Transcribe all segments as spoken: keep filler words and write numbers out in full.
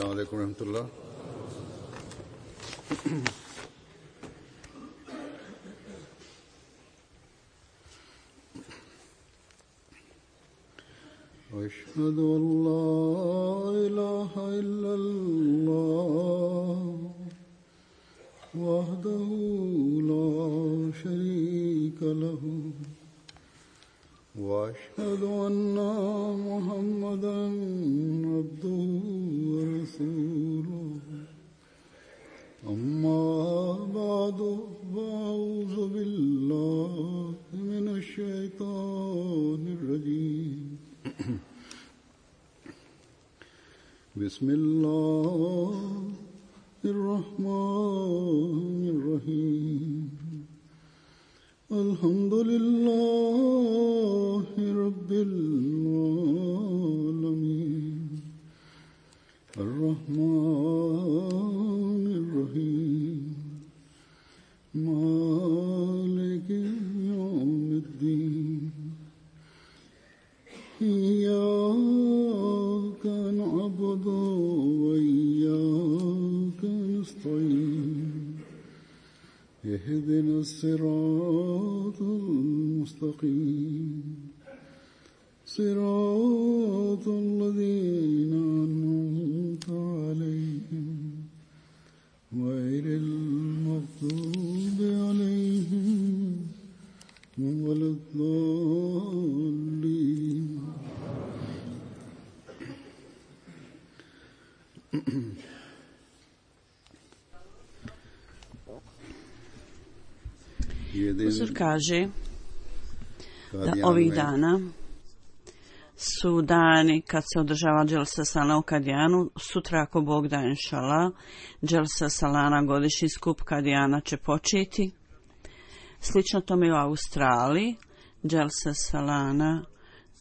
السلام عليكم ورحمة الله. أشهد أن لا إله إلا الله وحده لا شريك له وأشهد أن محمدا عبده ورسوله أما بعد فأعوذ بالله من الشيطان الرجيم بسم الله الرحمن الرحيم الحمد لله رب العالمين الرحمن الرحيم مالك يوم الدين إياك نعبد وإياك نستعين اهدنا الصراط المستقيم صراط الذين أنعمت عليهم غير المغضوب عليهم ولا الضالين. Uzor kaže da ovih dana su dani kad se održava Dželsa Salana u Kadijanu. Sutra, ako Bog da, inšala, Dželsa Salana, godišnji skup Kadijana, će početi. Slično tome i u Australiji. Dželsa Salana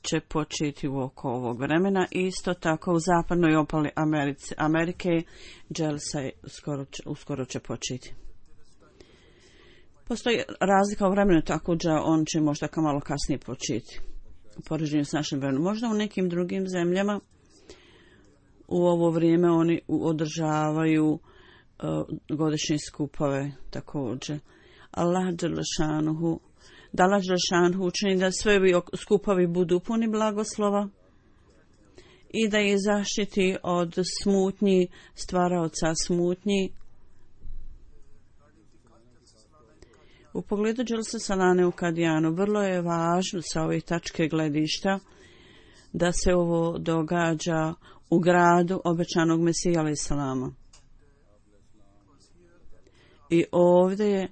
će početi u oko ovog vremena. Isto tako u zapadnoj obali Americe, Amerike Dželsa uskoro, uskoro će početi. Postoji razlika u vremenu, tako da on će možda kao malo kasnije početi u poređenju s našim vremenom. Možda u nekim drugim zemljama u ovo vrijeme oni održavaju uh, godišnje skupove također. Allah dželešanuhu, da Allah dželešanuhu učini da sve ovi skupovi budu puni blagoslova i da ih zaštiti od smutnji, stvaraoca smutnji. U pogledu Dželsa Salane u Kadijanu vrlo je važno sa ove tačke gledišta da se ovo događa u gradu obećanog Mesija alejhi selama. I ovdje je,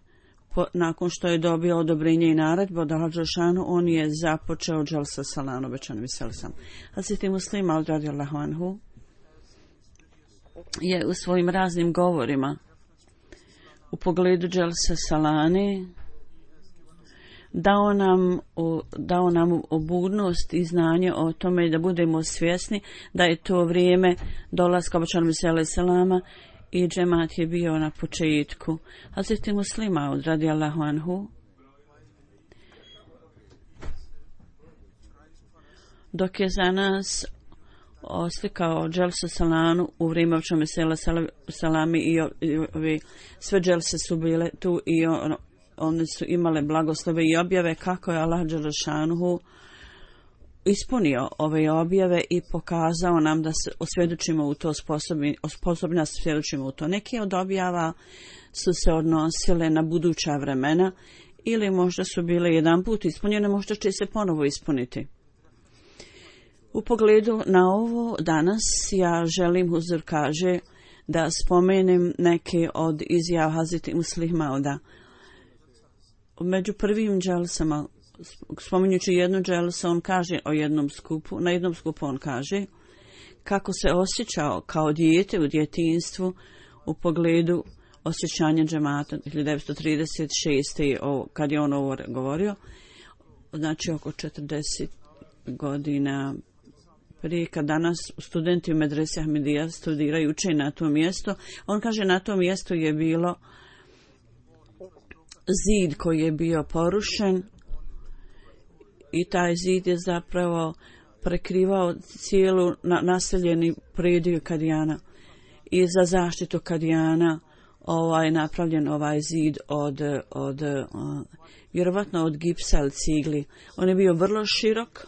po, nakon što je dobio odobrenje i naredbu od Allaha dželešanu, on je započeo Dželsa Salanu obećanog Mesija alejhi selam. Hazreti Muslim al radijallahu anhu je u svojim raznim govorima u pogledu Dželsa Salane dao nam, dao nam obudnost i znanje o tome da budemo svjesni da je to vrijeme dolaska obećanog Mesija alejhi selama i džemat je bio na početku. Hazreti Muslima radijallahu anhu dok je za nas oslikao Dželsa Salanu u vrijeme obećanog Mesija alejhi selama i ove sve dželse su bile tu i on, one su imale blagoslove i objave kako je Allah dželešanuhu ispunio ove objave i pokazao nam da se osvjedočimo u to, sposobni, sposobni nas svjedočimo u to. Neke od objava su se odnosile na buduća vremena ili možda su bile jedan put ispunjene, možda će se ponovo ispuniti. U pogledu na ovo danas ja želim, Huzur kaže, da spomenem neke od izjava Hazreti Muslima Mauda. Među prvim dželsama, spominjući jednu dželsu, on kaže o jednom skupu, na jednom skupu on kaže kako se osjećao kao dijete u djetinjstvu u pogledu osjećanja džemata hiljadu devetsto trideset šeste. kad je on ovo govorio, znači oko četrdeset godina prije, kad danas studenti u medresi Ahmedija studiraju, uče na tom mjestu. On kaže na tom mjestu je bilo zid koji je bio porušen i taj zid je zapravo prekrivao cijelu na, naseljeni prediju Kadijana. i za zaštitu Kadijana ovaj napravljen ovaj zid od, od uh, vjerovatno od gipsa ili cigli. On je bio vrlo širok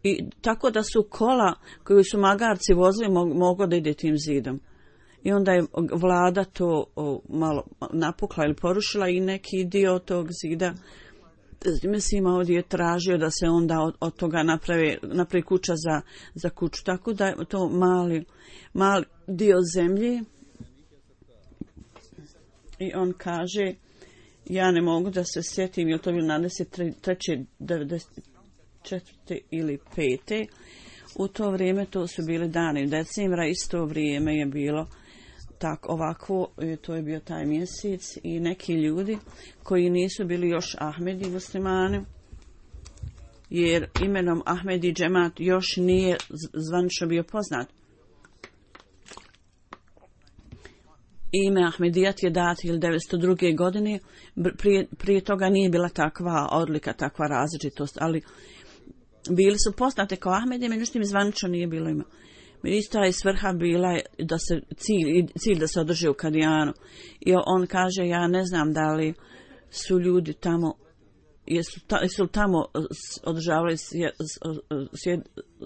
i tako da su kola koju su magarci vozili mog, moglo da ide tim zidom. I onda je vlada to o, malo napukla ili porušila i neki dio tog zida mislim ovdje je tražio da se onda od, od toga napravi, napravi kuća za, za kuću. Tako da je to mali, mali dio zemlje. I on kaže, ja ne mogu da se sjetim, je li to bilo nadeset treće, devedeset četvrte ili pete U to vrijeme to su bili dani decembra, isto vrijeme je bilo tako ovako, to je bio taj mjesec i neki ljudi koji nisu bili još Ahmedi muslimani, jer imenom Ahmedi džemat još nije zvanično bio poznat. Ime Ahmedijat je dat hiljadu devetsto druge. godine, prije, prije toga nije bila takva odlika, takva različitost, ali bili su poznate kao Ahmedi, međutim zvanično nije bilo ima. Ista je svrha bila da se cilj, cilj da se održi u Kadijanu. I on kaže, ja ne znam da li su ljudi tamo, jesu, ta, jesu tamo održavali sjed, sjed,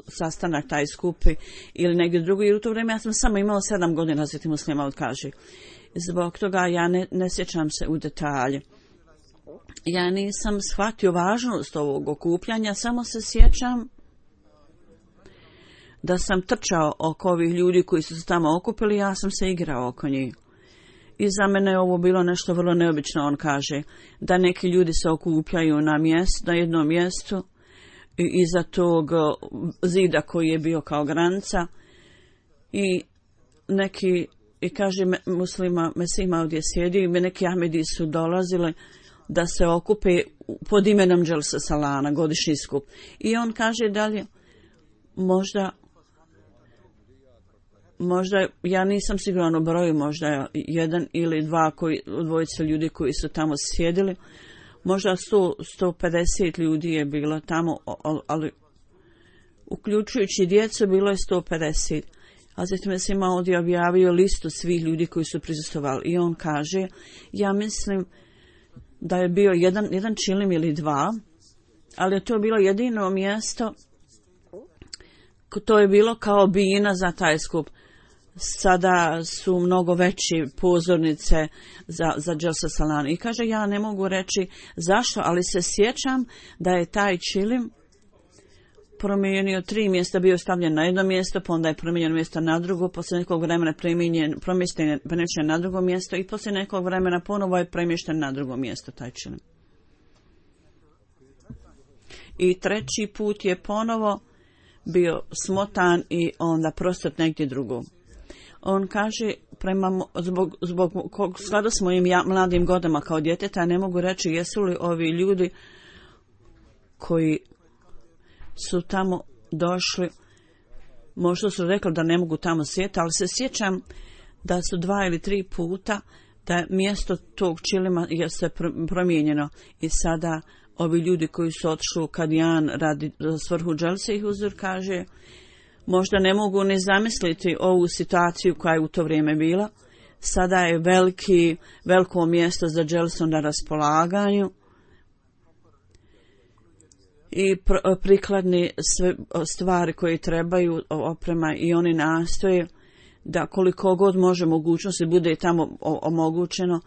sastanak taj skupi ili negdje drugo, jer u to vrijeme ja sam samo imao sedam godina, Hazreti Muslih Maud kaže. Zbog toga ja ne, ne sjećam se u detalje. Ja nisam shvatio važnost ovog okupljanja, samo se sjećam da sam trčao oko ovih ljudi koji su se tamo okupili, ja sam se igrao oko njih. I za mene je ovo bilo nešto vrlo neobično, on kaže, da neki ljudi se okupljaju na mjestu, na jednom mjestu, iza tog zida koji je bio kao granica, i neki, i kaže muslima, Mesih ovdje sjedi, i neki Ahmedi su dolazili da se okupe pod imenom Dželsa Salana, godišnji skup. I on kaže dalje, možda možda, ja nisam siguran u broju, možda jedan ili dva koji, dvojice ljudi koji su tamo sjedili, možda sto, sto pedeset ljudi je bilo tamo, ali uključujući djecu bilo je sto pedeset. A zatim se ima ovdje objavio listu svih ljudi koji su prisustvovali i on kaže, ja mislim da je bio jedan, jedan čilim ili dva, ali je to bilo jedino mjesto, to je bilo kao bina za taj skup. Sada su mnogo veće pozornice za, za Dželsa Salana. I kaže, ja ne mogu reći zašto, ali se sjećam da je taj čilim promijenio tri mjesta, bio stavljen na jedno mjesto, pa onda je promijenjeno mjesto na drugo, poslije nekog vremena premješten na drugo mjesto i poslije nekog vremena ponovo je premješten na drugo mjesto taj čilim. I treći put je ponovo bio smotan i onda prostot negdje drugo. On kaže, prema, zbog, zbog skladu s mojim ja, mladim godama kao djeteta, ne mogu reći jesu li ovi ljudi koji su tamo došli, možda su rekli da ne mogu tamo sjeti, ali se sjećam da su dva ili tri puta da je mjesto tog čilima je se promijenjeno i sada ovi ljudi koji su otišli u Kadijan radi svrhu Dželse i Huzur kaže, možda ne mogu ni zamisliti ovu situaciju koja je u to vrijeme bila. Sada je veliki, veliko mjesto za Dželsu na raspolaganju i pr- prikladni sve stvari koje trebaju, oprema, i oni nastoje da koliko god može mogućnosti bude tamo omogućeno.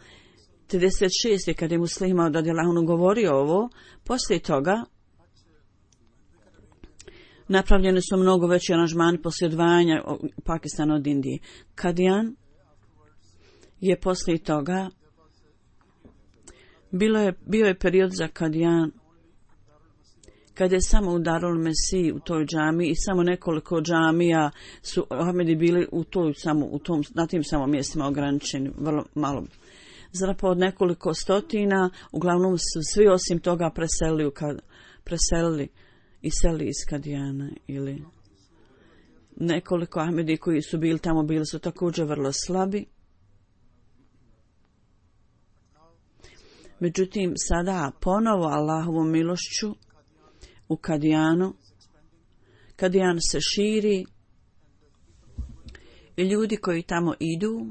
trideset šeste. kad je Muslih Maud radijallahu anhu govorio ovo, poslije toga napravljeni su mnogo veći aranžmani poslije odvajanja Pakistana od Indije. Kadijan je poslije toga bilo je, bio je period za Kadijan kad je samo u Darul Mesih u toj džami i samo nekoliko džamija su Ahmedi bili u toj samo u tom na tim samo mjestima ograničeni, vrlo malo. Zapravo od nekoliko stotina, uglavnom su svi osim toga preselili, kad, preselili i seli iz Kadijana, ili nekoliko Ahmedi koji su bili tamo bili su također vrlo slabi. Međutim, sada ponovo Allahovom milošću u Kadijanu, Kadijan se širi I ljudi koji tamo idu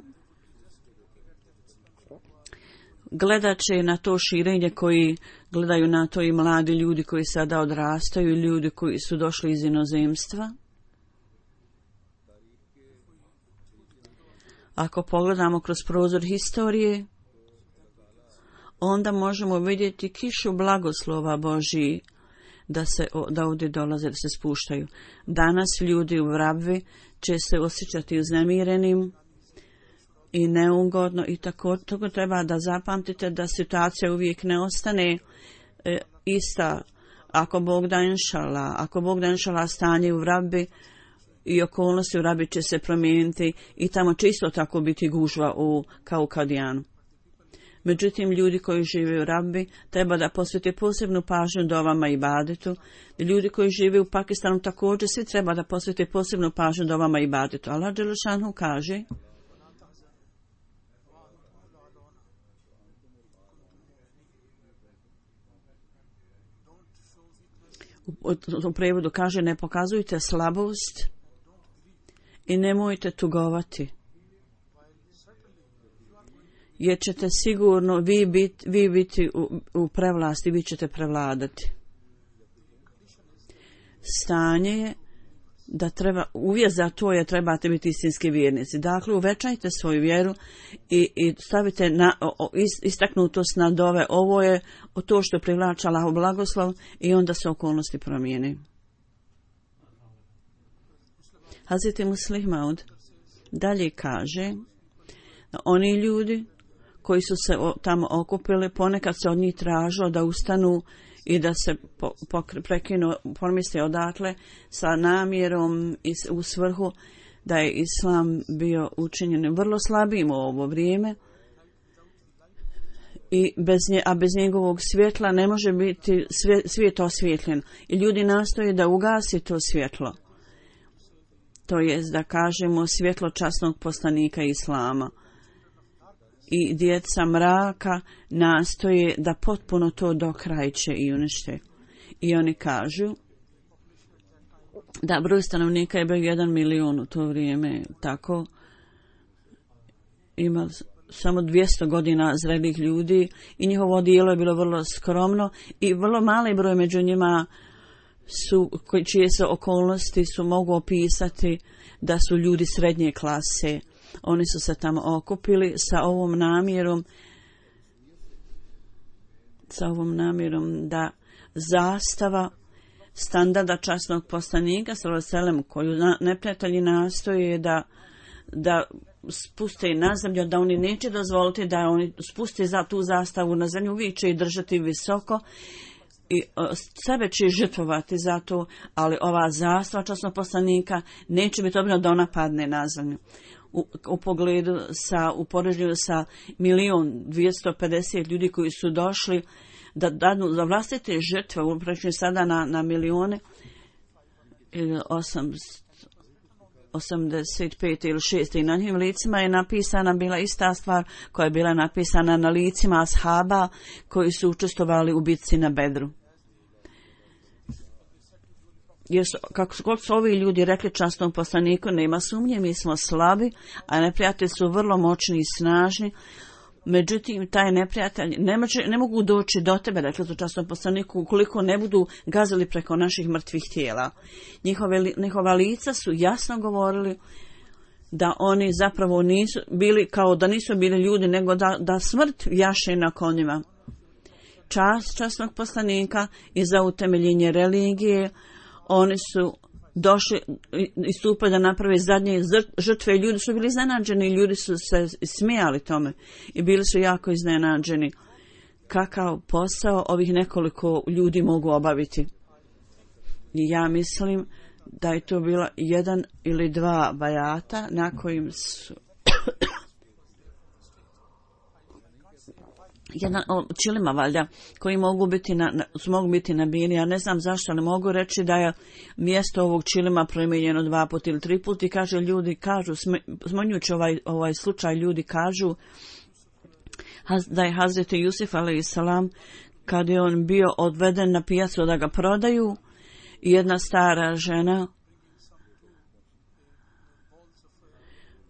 gledat će na to širenje, koji gledaju na to i mladi ljudi koji sada odrastaju i ljudi koji su došli iz inozemstva. Ako pogledamo kroz prozor historije, onda možemo vidjeti kišu blagoslova Božji da se da ovdje dolaze, da se spuštaju. Danas ljudi u Vrabvi će se osjećati uznemirenim i neugodno i tako, tako treba da zapamtite da situacija uvijek ne ostane e, ista. Ako Bog da inšala, ako Bog da inšala stanje u Vrabvi i okolnosti u Vrabvi će se promijeniti i tamo će isto tako biti gužva u, kao u Kadijanu. Međutim, ljudi koji žive u Rabbi treba da posvete posebnu pažnju dovama i ibadetu. Ljudi koji žive u Pakistanu također svi treba da posvete posebnu pažnju dovama i ibadetu. Allah dželešanu kaže: u, u prevodu kaže: ne pokazujte slabost i nemojte tugovati, jer ćete sigurno vi biti, vi biti u, u prevlasti, vi ćete prevladati. Stanje je da treba, uvijek za to je trebate biti istinski vjernici. Dakle, uvećajte svoju vjeru i, i stavite na, o, istaknutost na dove. Ovo je to što privlača Allahov blagoslov i onda se okolnosti promijene. Hazreti Muslih Maud dalje kaže: oni ljudi koji su se tamo okupili, ponekad se od njih tražilo da ustanu i da se po, po, prekinu, pomisle odatle sa namjerom i u svrhu da je islam bio učinjen vrlo slabim u ovo vrijeme i bez nje, a bez njegovog svjetla ne može biti svijet osvjetljen. I ljudi nastoje da ugasi to svjetlo. To jest da kažemo svjetlo časnog poslanika islama. I djeca mraka nastoje da potpuno to dokrajče i unište. I oni kažu da broj stanovnika je bio jedan milion u to vrijeme, tako ima samo dvjesto godina zrelih ljudi i njihovo dijelo je bilo vrlo skromno i vrlo mali broj među njima su, čije se okolnosti su mogu opisati da su ljudi srednje klase. Oni su se tamo okupili sa ovom namjerom, sa ovom namjerom da zastava standarda časnog poslanika sallallahu alejhi ve sellem koju neprijatelji nastoje da da spuste na zemlju, da oni neće dozvoliti da oni spuste za tu zastavu na zemlju, uvijek će i držati visoko i sebe će žrtvovati za to, ali ova zastava časnog poslanika neće biti dobro da ona padne na zemlju. U, u pogledu sa, u poređenju sa milion dvjesto pedeset ljudi koji su došli da dadnu za vlastite žrtve, upravo sada na, na milione, osamdeset pet ili šest i na njim licima je napisana bila ista stvar koja je bila napisana na licima ashaba koji su učestvovali u bitci na Bedru. Jer su, kako god su ovi ljudi rekli časnom poslaniku, nema sumnje, mi smo slabi, a neprijatelji su vrlo moćni i snažni. Međutim, taj neprijatelj ne, može, ne mogu doći do tebe, rekli su časnom poslaniku, ukoliko ne budu gazili preko naših mrtvih tijela. Njihove, njihova lica su jasno govorili da oni zapravo nisu bili, kao da nisu bili ljudi, nego da, da smrt jaše na konjima. Čast časnog poslanika i za utemeljenje religije, oni su došli i stupili da naprave zadnje žrtve. Ljudi su bili iznenađeni, ljudi su se smijali tome i bili su jako iznenađeni kakav posao ovih nekoliko ljudi mogu obaviti. I ja mislim da je to bilo jedan ili dva bajata na kojim su jedan čilima valjda koji mogu biti na, na, mogu biti nabijeni. Ja ne znam zašto, ali mogu reći da je mjesto ovog čilima promijenjeno dva put ili tri put i kaže ljudi kažu, smanjujući ovaj, ovaj slučaj, ljudi kažu da je Hazreti Jusuf alejhiselam kad je on bio odveden na pijacu da ga prodaju, jedna stara žena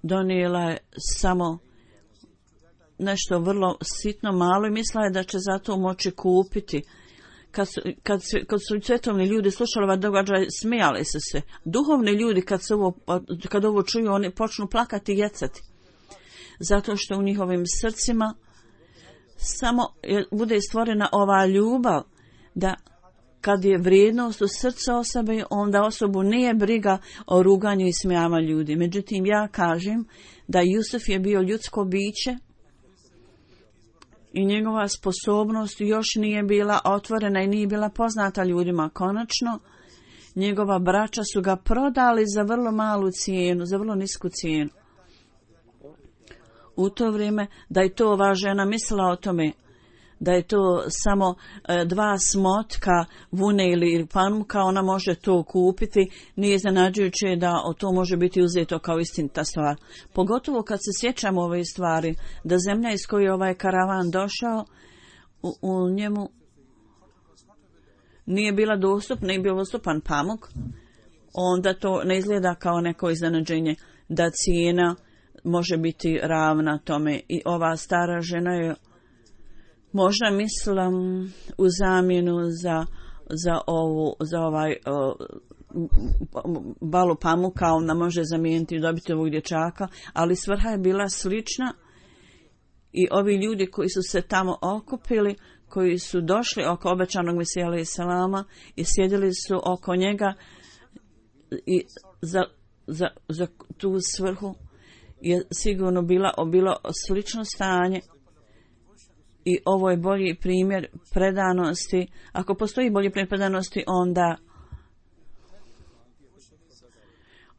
donijela je samo nešto vrlo sitno malo i mislila je da će zato moći kupiti. Kad su, kad, kad su svetovni ljudi slušali ovaj događaj, smijali su se. Duhovni ljudi kad, se ovo, kad ovo čuju, oni počnu plakati i jecati. Zato što u njihovim srcima samo je, bude stvorena ova ljubav da kad je vrijednost u srcu osobe, onda osobu nije briga o ruganju i smijavanju ljudi. Međutim, ja kažem da Jusuf je bio ljudsko biće i njegova sposobnost još nije bila otvorena i nije bila poznata ljudima. Konačno, njegova braća su ga prodali za vrlo malu cijenu, za vrlo nisku cijenu. U to vrijeme da je to ova žena mislila o tome, da je to samo e, dva smotka vune ili pamuka, ona može to kupiti, nije iznenađujuće da o to može biti uzeto kao istinita stvar. Pogotovo kad se sjećamo ove stvari, da zemlja iz koje je ovaj karavan došao, u, u njemu nije bila dostupna, nije bio dostupan pamuk, onda to ne izgleda kao neko iznenađenje da cijena može biti ravna tome. I ova stara žena je možda mislila u zamjenu za, za, ovu, za ovaj o, balu pamuka, ona može zamijeniti i dobiti ovog dječaka, ali svrha je bila slična i ovi ljudi koji su se tamo okupili, koji su došli oko obećanog Mesija alejhi selama i sjedili su oko njega i za, za, za tu svrhu je sigurno bila, bilo slično stanje. I ovo je bolji primjer predanosti. Ako postoji bolji primjer predanosti, onda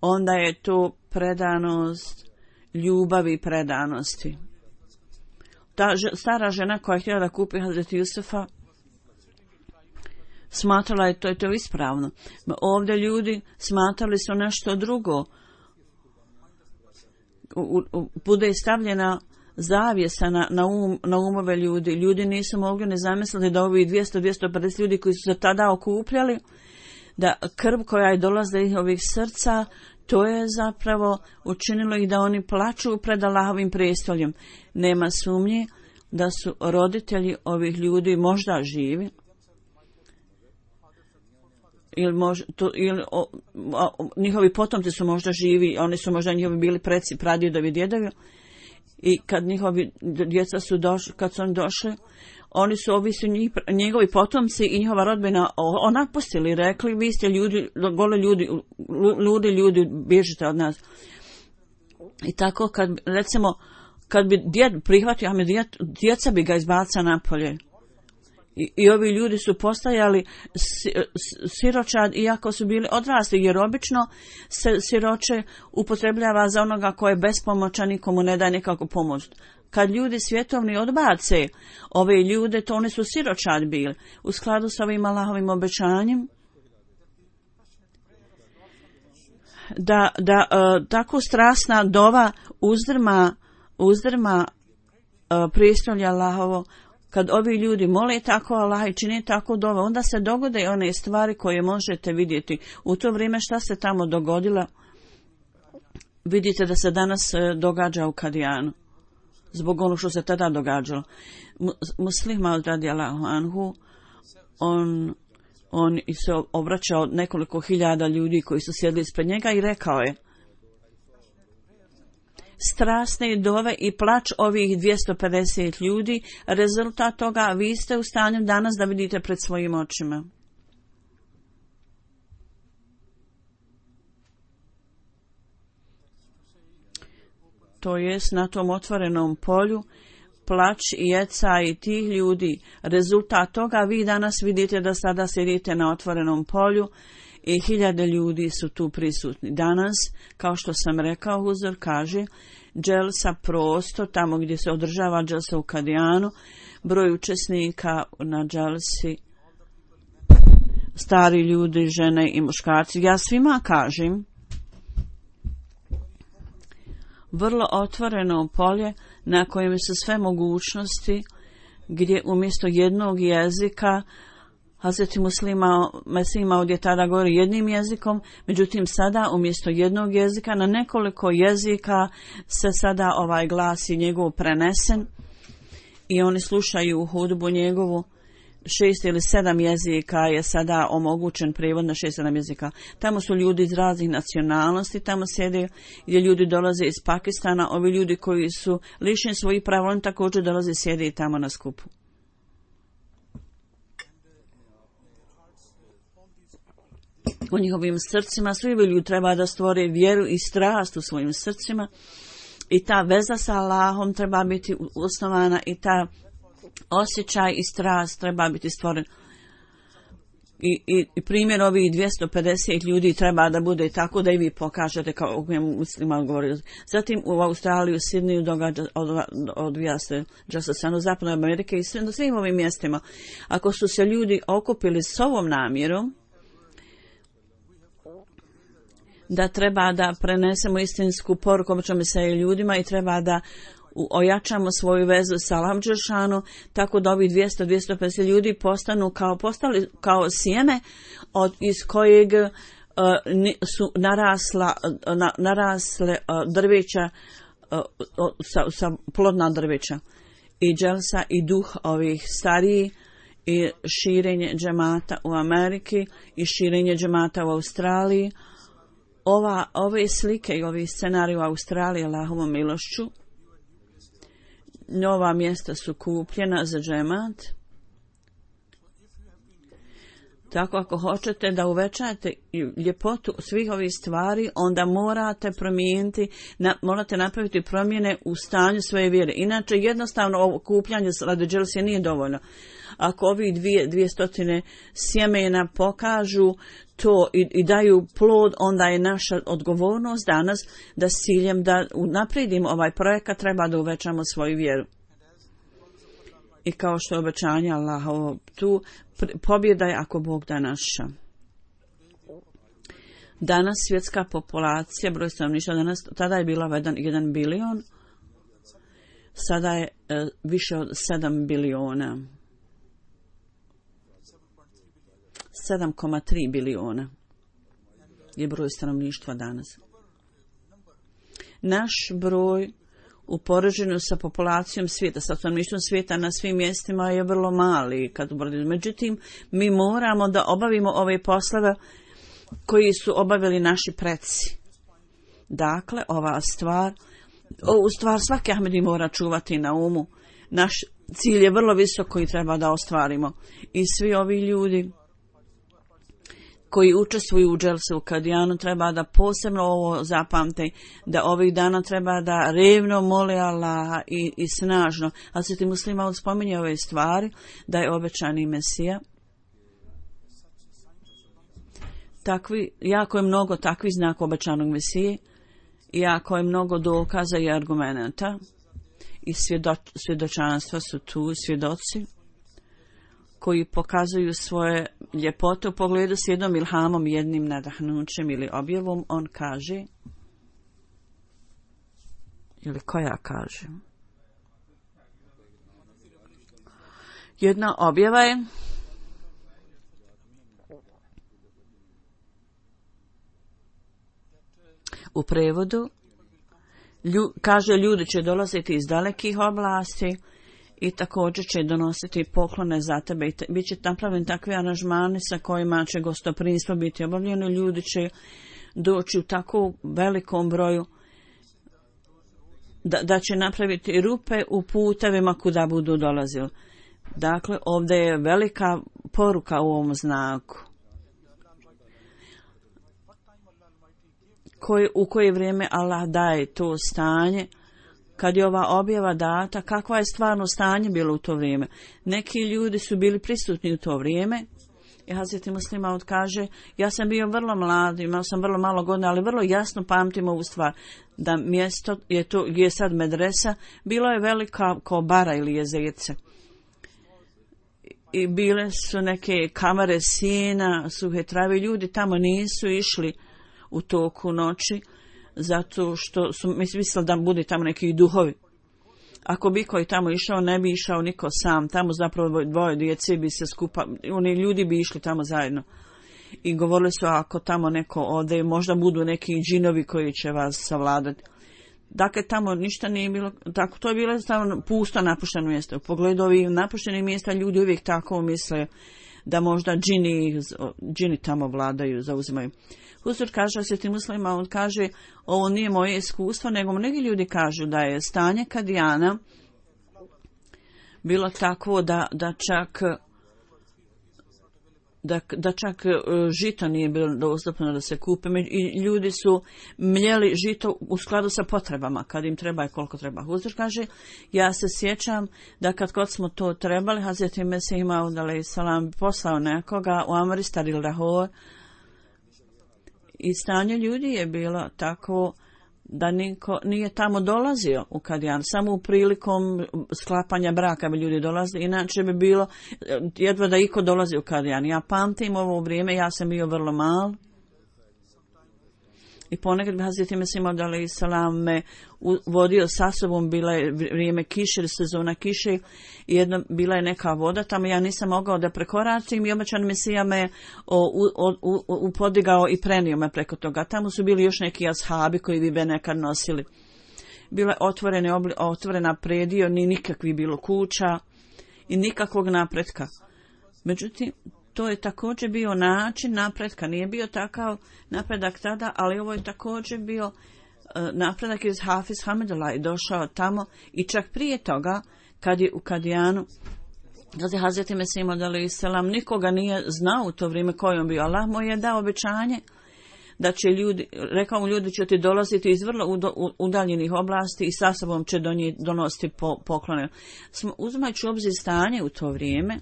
onda je to predanost ljubavi i predanosti. Ta stara žena koja je htjela da kupi Hazreti Jusufa, smatrala je to je to ispravno. Ovdje ljudi smatrali su nešto drugo. U, u, bude stavljena zavjesa na, na, um, na umove ljudi. Ljudi nisu mogli ne zamisliti da ovi dvjesto do dvjesto pedeset ljudi koji su se tada okupljali, da krv koja je dolazila iz ovih srca, to je zapravo učinilo ih da oni plaču pred Allahovim prestoljem. Nema sumnje da su roditelji ovih ljudi možda živi, ili, mož, to, ili o, o, njihovi potomci su možda živi, oni su možda njihovi bili preci, pradjedovi, djedovi. I kad njihovi djeca su došli, kad su oni došli, oni su ovi su njih, njegovi potomci i njihova rodbina napustili i rekli, vi ste ljudi, gole ljudi, ljudi, ljudi, bježite od nas. I tako kad, recimo, kad bi djed prihvatio, a me djed, djeca bi ga izbacila napolje. I, I ovi ljudi su postajali siročad iako su bili odrasli, jer obično se siroče upotrebljava za onoga ko je bespomoćan, nikomu ne daje nikakvu pomoć. Kad ljudi svjetovni odbace ove ljude, to oni su siročad bili. U skladu s ovim Allahovim obećanjem, da, da uh, tako strasna dova uzdrma, uzdrma uh, prijestolje Allahovo. Kad ovi ljudi mole tako Allah i čine tako dove, onda se dogode one stvari koje možete vidjeti. U to vrijeme šta se tamo dogodilo, vidite da se danas događa u Kadijanu. Zbog ono što se tada događalo. Muslih Maud radijallahu anhu, on, on se obraćao nekoliko hiljada ljudi koji su sjedli ispred njega i rekao je: strasne dove i plač ovih dvjesto pedeset ljudi, rezultat toga vi ste u stanju danas da vidite pred svojim očima. To jest na tom otvorenom polju, plač i jeca i tih ljudi, rezultat toga vi danas vidite da sada sjedite na otvorenom polju i hiljade ljudi su tu prisutni. Danas, kao što sam rekao, Huzur kaže, dželsa prostor, tamo gdje se održava dželsa u Kadijanu, broj učesnika na dželsi, stari ljudi, žene i muškarci. Ja svima kažem, vrlo otvoreno polje na kojem su sve mogućnosti, gdje umjesto jednog jezika Hazreti Muslima Mesima ovdje tada govori jednim jezikom, međutim sada umjesto jednog jezika na nekoliko jezika se sada ovaj glas je njegov prenesen i oni slušaju hudbu njegovu. Šest ili sedam jezika je sada omogućen prijevod na šest sedam jezika. Tamo su ljudi iz raznih nacionalnosti, tamo sjede gdje ljudi dolaze iz Pakistana, ovi ljudi koji su lišeni svojih prava, oni također dolaze i sjede tamo na skupu. U njihovim srcima svi ljudi treba da stvore vjeru i strast u svojim srcima i ta veza sa Allahom treba biti osnovana i ta osjećaj i strast treba biti stvoren. I, i, i primjer ovih dvjesto pedeset ljudi treba da bude tako da i vi pokažete kao u kojem muslima govori. Zatim u Australiji, u Sidneju događa, od, odvija se Džasasanu, zapadnoj Amerike i sve, na svim ovim mjestima. Ako su se ljudi okupili s ovom namjerom da treba da prenesemo istinsku poruku običnom se ljudima i treba da ojačamo svoju vezu sa Allahom dželešanu, tako da ovih dvjesto do dvjesto pedeset ljudi postanu kao postali kao sjeme od iz kojeg uh, su narasla uh, na, narasle uh, drveća uh, uh, sa, sa plodna drveća i dželsa i duh ovih stariji i širenje džemata u Ameriki i širenje džemata u Australiji. Ova, ove slike i ovi scenariji u Australiji Allahovom milošću, nova mjesta su kupljena za džemat. Tako ako hoćete da uvećate ljepotu svih ovih stvari, onda morate promijeniti, na, morate napraviti promjene u stanju svoje vjere. Inače jednostavno ovo kupljanje radi dželse nije dovoljno. Ako ovih dvije, dvije stotine sjemena pokažu to i, i daju plod, onda je naša odgovornost danas da s ciljem da unaprijedimo ovaj projekat treba da uvećamo svoju vjeru. I kao što je obećanje Allahovo, tu pobjeda je ako Bog da naša. Danas svjetska populacija, broj stanovništva danas, tada je bila jedan bilion, sada je e, više od sedam biliona. sedam zarez tri biliona je broj stanovništva danas. Naš broj u poređenju sa populacijom svijeta, sa stanovništvom svijeta na svim mjestima je vrlo mali. Kad međutim, mi moramo da obavimo ove poslove koji su obavili naši preci. Dakle, ova stvar, ovu stvar svaki Ahmedi mora čuvati na umu. Naš cilj je vrlo visok koji treba da ostvarimo. I svi ovi ljudi koji učestvuju u dželse u Kadijanu treba da posebno ovo zapamte, da ovih dana treba da revno mole Allaha i, i snažno. A se ti muslima spominje ove stvari, da je obećani Mesija. Takvi, jako je mnogo takvih znaka obećanog Mesije, jako je mnogo dokaza i argumenta i svjedo, svjedočanstva su tu, svjedoci koji pokazuju svoje ljepote u pogledu s jednom ilhamom, jednim nadahnućem ili objavom. On kaže, ili koja kaže, jedna objava je u prevodu, lju, kaže ljudi će dolaziti iz dalekih oblasti i također će donositi poklone za tebe. I bit će napravljeni takvi aranžmani sa kojima će gostoprimstvo biti obavljeno. Ljudi će doći u tako velikom broju da, da će napraviti rupe u putevima kuda budu dolazili. Dakle, ovdje je velika poruka u ovom znaku. Koje, u koje vrijeme Allah daje to stanje, kad je ova objava data, kakva je stvarno stanje bilo u to vrijeme. Neki ljudi su bili prisutni u to vrijeme. I Hazreti Muslima kaže, ja sam bio vrlo mlad, imao sam vrlo malo godina, ali vrlo jasno pamtim ovu stvar, da mjesto je to, gdje je sad medresa, bilo je velika kao bara ili jezerce. I bile su neke kamere sjena, suhe trave, ljudi tamo nisu išli u toku noći, zato što su mislili da bude tamo neki duhovi. ako bi koji tamo išao, ne bi išao niko sam. Tamo zapravo dvoje djece bi se skupa, oni ljudi bi išli tamo zajedno. I govorili su, ako tamo neko ode, možda budu neki džinovi koji će vas savladati. Dakle, tamo ništa nije bilo, tako, to je bilo stavno pusto napušteno mjesto. U pogledu ovih napuštenih mjesta ljudi uvijek tako misle da možda džini, džini tamo vladaju, zauzimaju. Huzur kaže sveti muslima, on kaže, ovo nije moje iskustvo, nego mnogi ljudi kažu da je stanje Kadijana bilo takvo da, da čak da, da čak žito nije bilo dostupno da se kupe i ljudi su mljeli žito u skladu sa potrebama kad im treba i koliko treba. Huzur kaže, ja se sjećam da kad god smo to trebali, Hazreti Mesih Maud alejhi selam poslao nekoga u Amristar ili Lahore i stanje ljudi je bilo tako da niko nije tamo dolazio u Kadijan, samo u prilikom sklapanja braka bi ljudi dolazili, inače bi bilo jedva da iko dolazi u Kadijan. Ja pamtim ovo vrijeme, ja sam bio vrlo mal i ponekad bi Hazreti Mesih Maud alejhi selam me vodio sa sobom, bila je vrijeme kiše, sezona kiše i jedno, bila je neka voda, tamo ja nisam mogao da prekoračim i obećan Mesija me upodigao i prenio me preko toga. Tamo su bili još neki ashabi koji bi be nekad nosili. Bila je otvorene, otvorena predio, ni nikakvi bilo kuća i nikakvog napretka. Međutim, to je također bio način napretka, nije bio takav napredak tada, ali ovo je također bio napredak iz Hafiz Hamidullah i došao tamo i čak prije toga kad je u Kadijanu, kad je Hazreti Mesih Maud alejhi selam nikoga nije znao u to vrijeme koji on bio. Allah mu je dao obećanje da će ljudi, rekao mu ljudi će ti dolaziti iz vrlo udaljenih oblasti i sa sobom će donositi po, poklone. Uzimajući u obzir stanje u to vrijeme,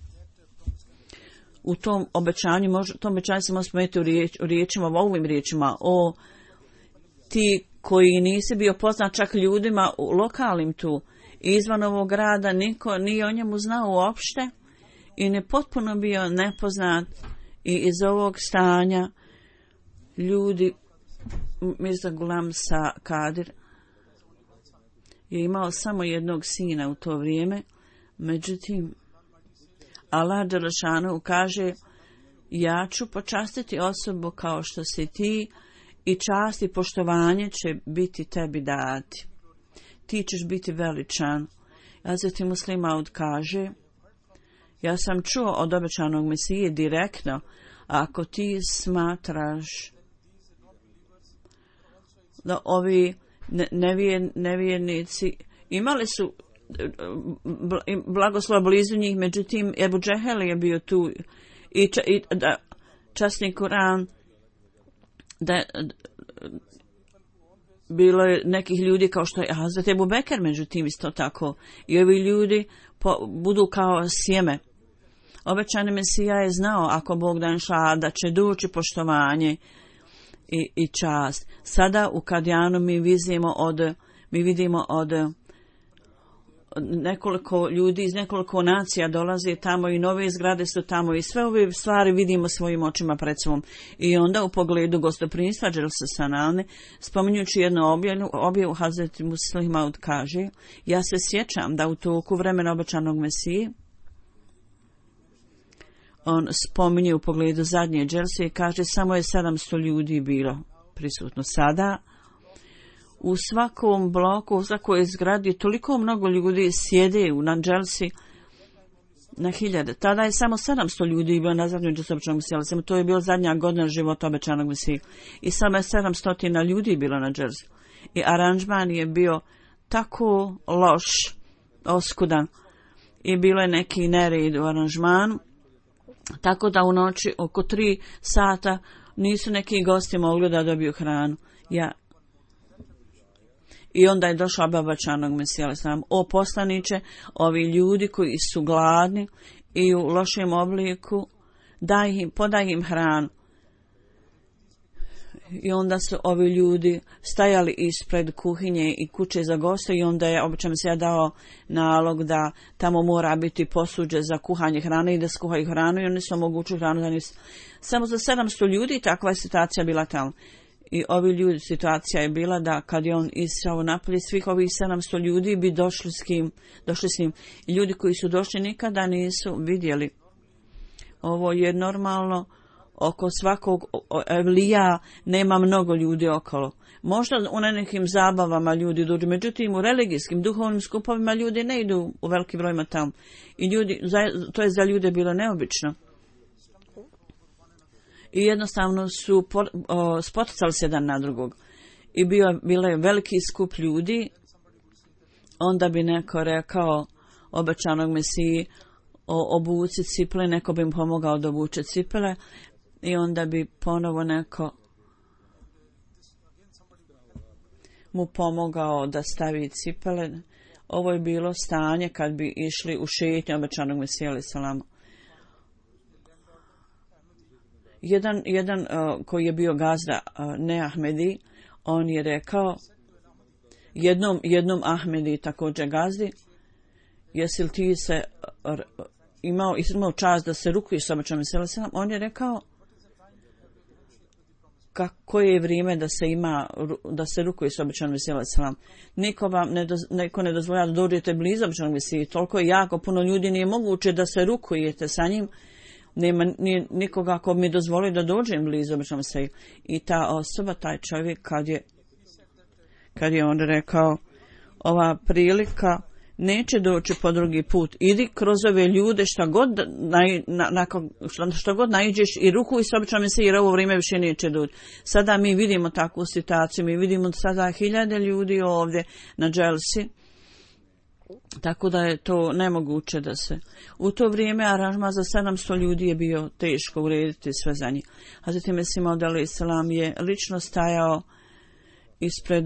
u tom obećanju, može, tom obećanju se može spomenuti u, riječ, u riječima, u ovim riječima, o ti koji nisi bio poznat čak ljudima u lokalnim tu, izvan ovog grada, niko nije o njemu znao uopšte i ne potpuno bio nepoznat i iz ovog stanja ljudi, Mirza Gulam Sa Kadir je imao samo jednog sina u to vrijeme, međutim Allah dželešanu kaže, ja ću počastiti osobu kao što si ti i čast i poštovanje će biti tebi dati. Ti ćeš biti veličan. Hazreti Muslih Maud kaže, ja sam čuo od obećanog Mesije direktno, ako ti smatraš da ovi nevjernici imali su blagoslova blizu njih, međutim Ebu Džehel je bio tu i, ča, i da, časni Kur'an da bilo je nekih ljudi kao što je Hazret Ebu Bekr, međutim isto tako i ovi ljudi po, budu kao sjeme. Obećani Mesija je znao ako Bog da inša da će doći poštovanje i, i čast. Sada u Kadijanu mi vidimo od mi vidimo od nekoliko ljudi iz nekoliko nacija dolaze tamo i nove zgrade su tamo i sve ove stvari vidimo svojim očima pred sobom. I onda u pogledu gostoprimstva Dželse Sanane, spominjući jednu objavu, objavu Hazreti Muslih Maud kaže, ja se sjećam da u toku vremena obećanog Mesije, on spominje u pogledu zadnje Dželse i kaže samo je sedamsto ljudi bilo prisutno. Sada u svakom bloku, u svakoj zgradi toliko mnogo ljudi sjede na Dželsi na hiljade. Tada je samo sedamsto ljudi bilo na zadnjoj Dželsi obećanog Mesije. To je bila zadnja godina života obećanog Mesije. I samo je sedamsto ljudi bilo na Dželsi. I aranžman je bio tako loš, oskudan. I bilo je neki nered u aranžmanu. Tako da u noći oko tri sata nisu neki gosti mogli da dobiju hranu. Ja I onda je došao obećanog Mesija, o poslaniče, ovi ljudi koji su gladni i u lošem obliku, daj im, podaj im hranu. I onda su ovi ljudi stajali ispred kuhinje i kuće za goste i onda je obećan Mesija dao nalog da tamo mora biti posuđe za kuhanje hrane i da skuhaju hranu i oni su omogućili hranu. Samo za sedamsto ljudi takva je situacija bila tamo. I ovi ljudi, situacija je bila da kad je on isao napolje, svih ovih sedamsto ljudi bi došli s kim, došli s njim. I ljudi koji su došli nikada nisu vidjeli. Ovo je normalno, oko svakog evlija nema mnogo ljudi okolo. Možda u nekim zabavama ljudi dođu, međutim u religijskim, duhovnim skupovima ljudi ne idu u veliki brojima tamo. I ljudi, to je za ljude bilo neobično. I jednostavno su spoticali se jedan na drugog. I bio, bilo je veliki skup ljudi, onda bi neko rekao obećanog Mesiji o obuci cipele, neko bi im pomogao da obuče cipele i onda bi ponovo neko mu pomogao da stavi cipele. Ovo je bilo stanje kad bi išli u šetnju obećanog Mesija alejhi selam. Jedan, jedan uh, koji je bio gazda uh, ne Ahmedi, on je rekao jednom, jednom Ahmedi također gazdi, jesi li ti se uh, imao, imao čast da se rukuješ sa obećanim Mesijom alejhi selam? On je rekao kako je vrijeme da se ima, da se rukuje s obećanim Mesijom alejhi selam. Niko vam ne, doz, neko ne dozvoljava da dođete blizu obećanog Mesije. Toliko je jako puno ljudi, nije moguće da se rukujete sa njim. Nema nije nikoga ko mi dozvoli da dođem blizu obećanog Mesije. I ta osoba, taj čovjek, kad je, kad je on rekao ova prilika neće doći po drugi put. Idi kroz ove ljude šta god, naj, na, na, šta, šta god naiđeš i rukuj s obećanim Mesijom jer ovo vrijeme više neće doći. Sada mi vidimo takvu situaciju, mi vidimo sada hiljade ljudi ovdje na dželsi, tako da je to nemoguće da se. U to vrijeme aranžman za sedamsto ljudi je bio teško urediti sve za njih. Hazreti Mesih Maud alejhi selam je lično stajao ispred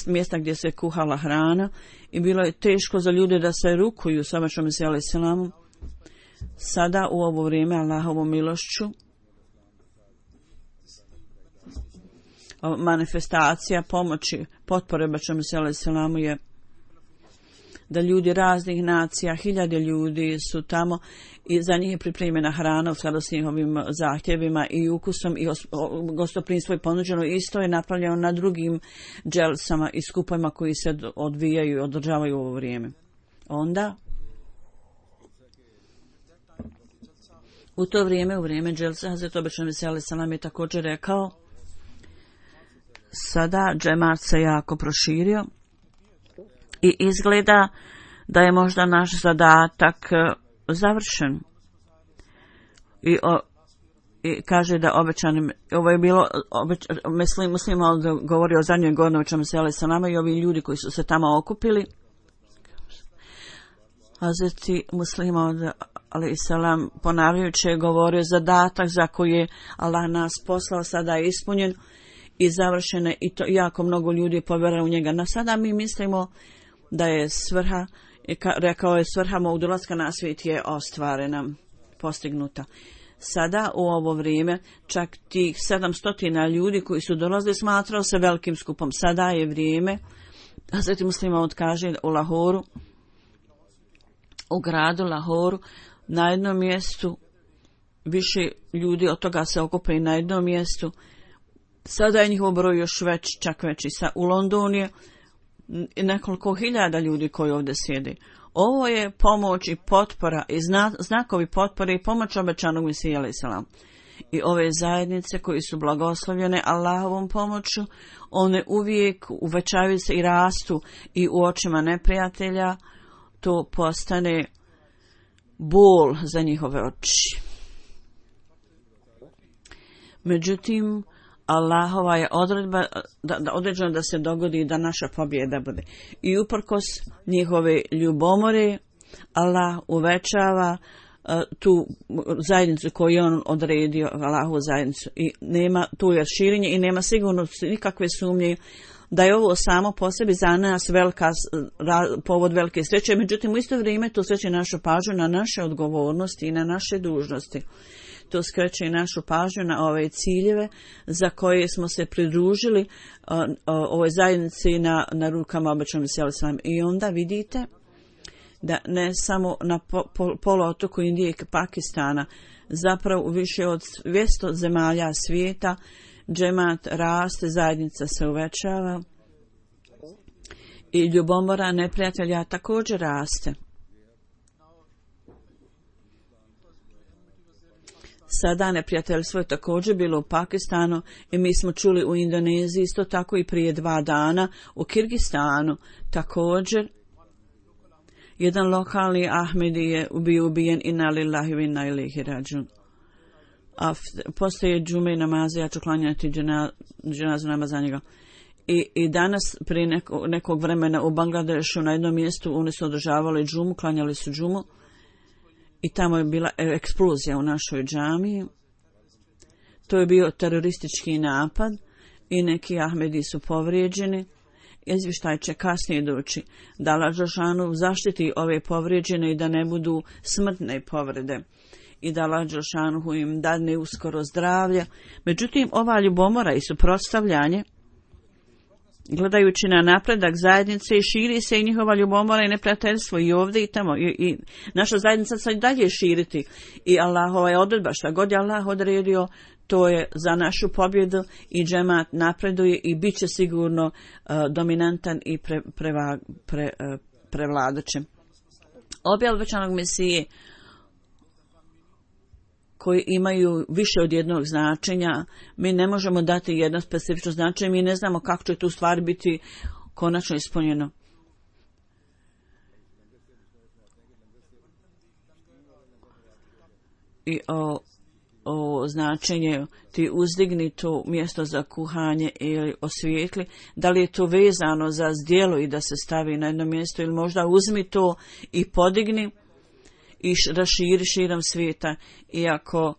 mjesta gdje se kuhala hrana i bilo je teško za ljude da se rukuju sa obećanim Mesijom alejhi selamom. Sada u ovo vrijeme Allahovom milošću manifestacija pomoći potpore obećanom Mesiju alejhi selamu je da ljudi raznih nacija, hiljade ljudi su tamo i za njih je pripremljena hrana u skladu s njihovim zahtjevima i ukusom i gostoprinstvo je ponuđeno. Isto je napravljeno na drugim dželsama i skupovima koji se odvijaju i održavaju u ovo vrijeme. Onda u to vrijeme, u vrijeme dželsa, Hazret obećanog Mesija alejhi selam je također rekao sada džemat se jako proširio i izgleda da je možda naš zadatak završen. I, o, i kaže da obećanim, ovo je bilo, obeč, mislim, muslima govori o zadnjoj godini o čemu se alejhi selam i ovi ljudi koji su se tamo okupili. Hazreti muslima alejhi selam ponavljajući je govorio zadatak za koji je Allah nas poslao sada je ispunjen i završene i to jako mnogo ljudi povjeruje u njega. Na sada mi mislimo da je svrha, rekao je svrha mog dolaska na svijet je ostvarena, postignuta. Sada u ovo vrijeme čak tih sedamstotina ljudi koji su dolazili smatrao se velikim skupom. Sada je vrijeme, Hazreti Muslima odkaže u Lahoru, u gradu Lahoru, na jednom mjestu više ljudi od toga se okupe i na jednom mjestu. Sada je njihov broj još već, čak veći. U Londonu je nekoliko hiljada ljudi koji ovdje sjede. Ovo je pomoć i potpora i zna, znakovi potpore i pomoć obećanog Mesija alejhi selam. I ove zajednice koji su blagoslovljene Allahovom pomoću, one uvijek uvećavaju se i rastu i u očima neprijatelja to postane bol za njihove oči. Međutim, Allahova je odredba da, da određeno da se dogodi da naša pobjeda bude. I uprkos njihove ljubomore, Allah uvećava uh, tu zajednicu koju je on odredio, Allahovu zajednicu. I nema, tu je širenje i nema sigurno nikakve sumnje da je ovo samo po sebi za nas velika, ra, povod velike sreće. Međutim, u isto vrijeme to skreće našu pažnju na naše odgovornosti i na naše dužnosti. To skreće i našu pažnju na ove ciljeve za koje smo se pridružili o, o, ovoj zajednici na, na rukama obećanog Mesija alejhi selam. I onda vidite da ne samo na po, po, poluotoku Indije i Pakistana, zapravo u više od dvjesto zemalja svijeta džemat raste, zajednica se uvećava i ljubomora neprijatelja također raste. Sada neprijateljstvo je također bilo u Pakistanu i mi smo čuli u Indoneziji, isto tako i prije dva dana u Kirgistanu. Također, jedan lokalni Ahmedi je bio ubijen inna lillahi wa inna ilaihi rađun. A postoje džume i namaze, ja ću klanjati dženazu namaz za njega. I, I danas prije neko, nekog vremena u Bangladešu na jednom mjestu oni su održavali džumu, klanjali su džumu. I tamo je bila eksplozija u našoj džamiji. To je bio teroristički napad i neki Ahmedi su povrijeđeni. Izvještaj će kasnije doći da Allah dželešanu zaštiti ove povrijeđene i da ne budu smrtne povrede. I da Allah dželešanu im dadne uskoro zdravlje. Međutim, ova ljubomora i suprotstavljanje, gledajući na napredak zajednice, i širi se i njihova ljubomora i neprijateljstvo i ovdje i tamo. I, i naša zajednica se dalje širiti. I Allahova je odredba, šta god je Allah odredio, to je za našu pobjedu i džemat napreduje i bit će sigurno uh, dominantan i pre, preva, pre, uh, prevladaće. Objava obećanog Mesije koji imaju više od jednog značenja, mi ne možemo dati jedno specifično značenje, mi ne znamo kako će tu stvari biti konačno ispunjeno. I o, o značenje ti uzdigni to mjesto za kuhanje ili osvijetli, da li je to vezano za zdjelo i da se stavi na jedno mjesto ili možda uzmi to i podigni i raširi širom svijeta, iako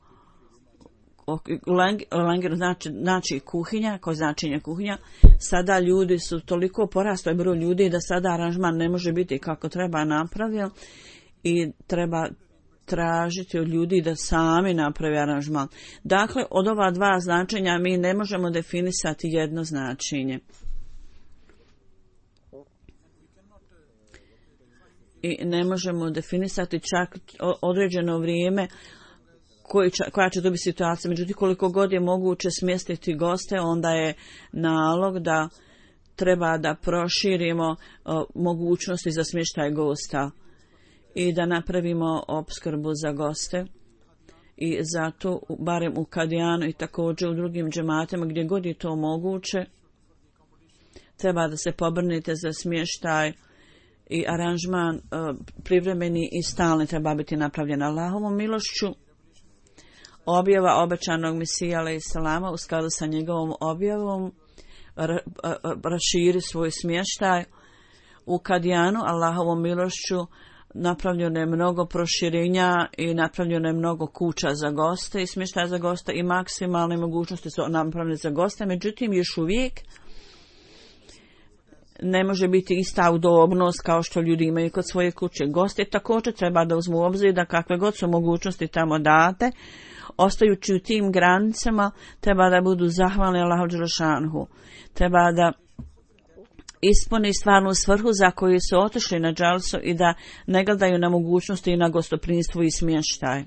Langer znači, znači kuhinja, ko značenje kuhinja, sada ljudi su toliko porastao broj ljudi da sada aranžman ne može biti kako treba napravio i treba tražiti od ljudi da sami napravi aranžman. Dakle, od ova dva značenja mi ne možemo definisati jedno značenje. I ne možemo definisati čak određeno vrijeme koji će, koja će to biti situacija. Međutim, koliko god je moguće smjestiti goste, onda je nalog da treba da proširimo o, mogućnosti za smještaj gosta i da napravimo opskrbu za goste. I zato, barem u Kadijanu i također u drugim džematima, gdje god je to moguće, treba da se pobrnite za smještaj i aranžman uh, privremeni i stalni treba biti napravljen Allahovom milošću. Objava obećanog Mesija alejselama u skladu sa njegovom objavom ra, ra, raširi svoj smještaj. U Kadijanu Allahovom milošću napravljeno je mnogo proširenja i napravljeno je mnogo kuća za goste i smještaja za goste i maksimalne mogućnosti su napravljene za goste. Međutim, još uvijek ne može biti ista udobnost kao što ljudi imaju kod svoje kuće. Goste također treba da uzmu u obzir da kakve god su mogućnosti tamo date, ostajući u tim granicama, treba da budu zahvalni Allahu dželešanhu. Treba da ispuni stvarnu svrhu za koju su otišli na džalsu i da ne gledaju na mogućnosti i na gostoprinstvo i smještaj.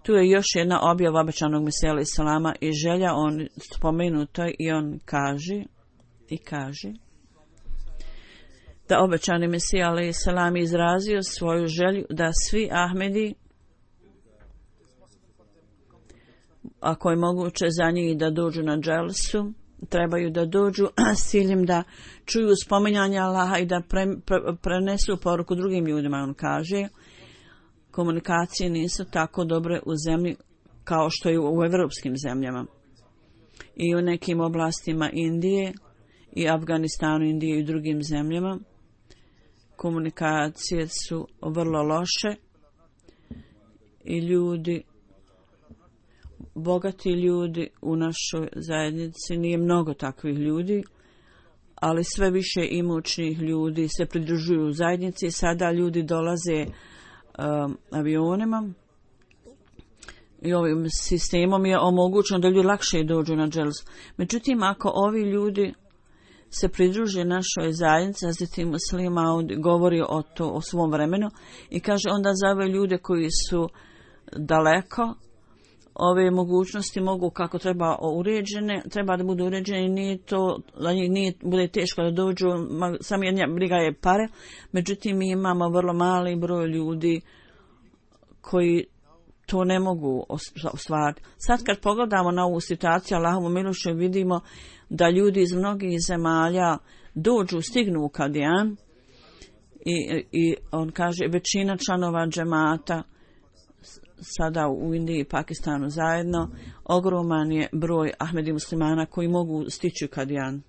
Tu je još jedna objava obećanog Mesija alejselama i želja, on spomenuto i on kaže i kaže da obećani Mesija alejselam izrazio svoju želju da svi Ahmedi, ako je moguće za njih da dođu na dželsu, trebaju da dođu s ciljem da čuju spominjanje Allaha i da pre, pre, prenesu poruku drugim ljudima. On kaže, komunikacije nisu tako dobre u zemlji kao što je u evropskim zemljama. I u nekim oblastima Indije i Afganistanu, Indije i drugim zemljama komunikacije su vrlo loše i ljudi, bogati ljudi u našoj zajednici, nije mnogo takvih ljudi, ali sve više imućnih ljudi se pridružuju u zajednici. Sada ljudi dolaze um, avionima i ovim sistemom je omogućeno da ljudi lakše dođu na dželsu. Međutim, ako ovi ljudi se pridruže našoj zajednici, Hazreti Muslima govori o, to, o svom vremenu i kaže onda za ove ljude koji su daleko, ove mogućnosti mogu kako treba uređene, treba da budu uređene i nije to, da njih nije, bude teško da dođu, samo jedna briga je pare, međutim mi imamo vrlo mali broj ljudi koji to ne mogu ostvariti. Sad kad pogledamo na ovu situaciju, Allahovu milošću, vidimo da ljudi iz mnogih zemalja dođu, stignu u Kadijan i, i on kaže većina članova džemata sada u Indiji i Pakistanu zajedno, ogroman je broj Ahmedi muslimana koji mogu stići u Kadijan.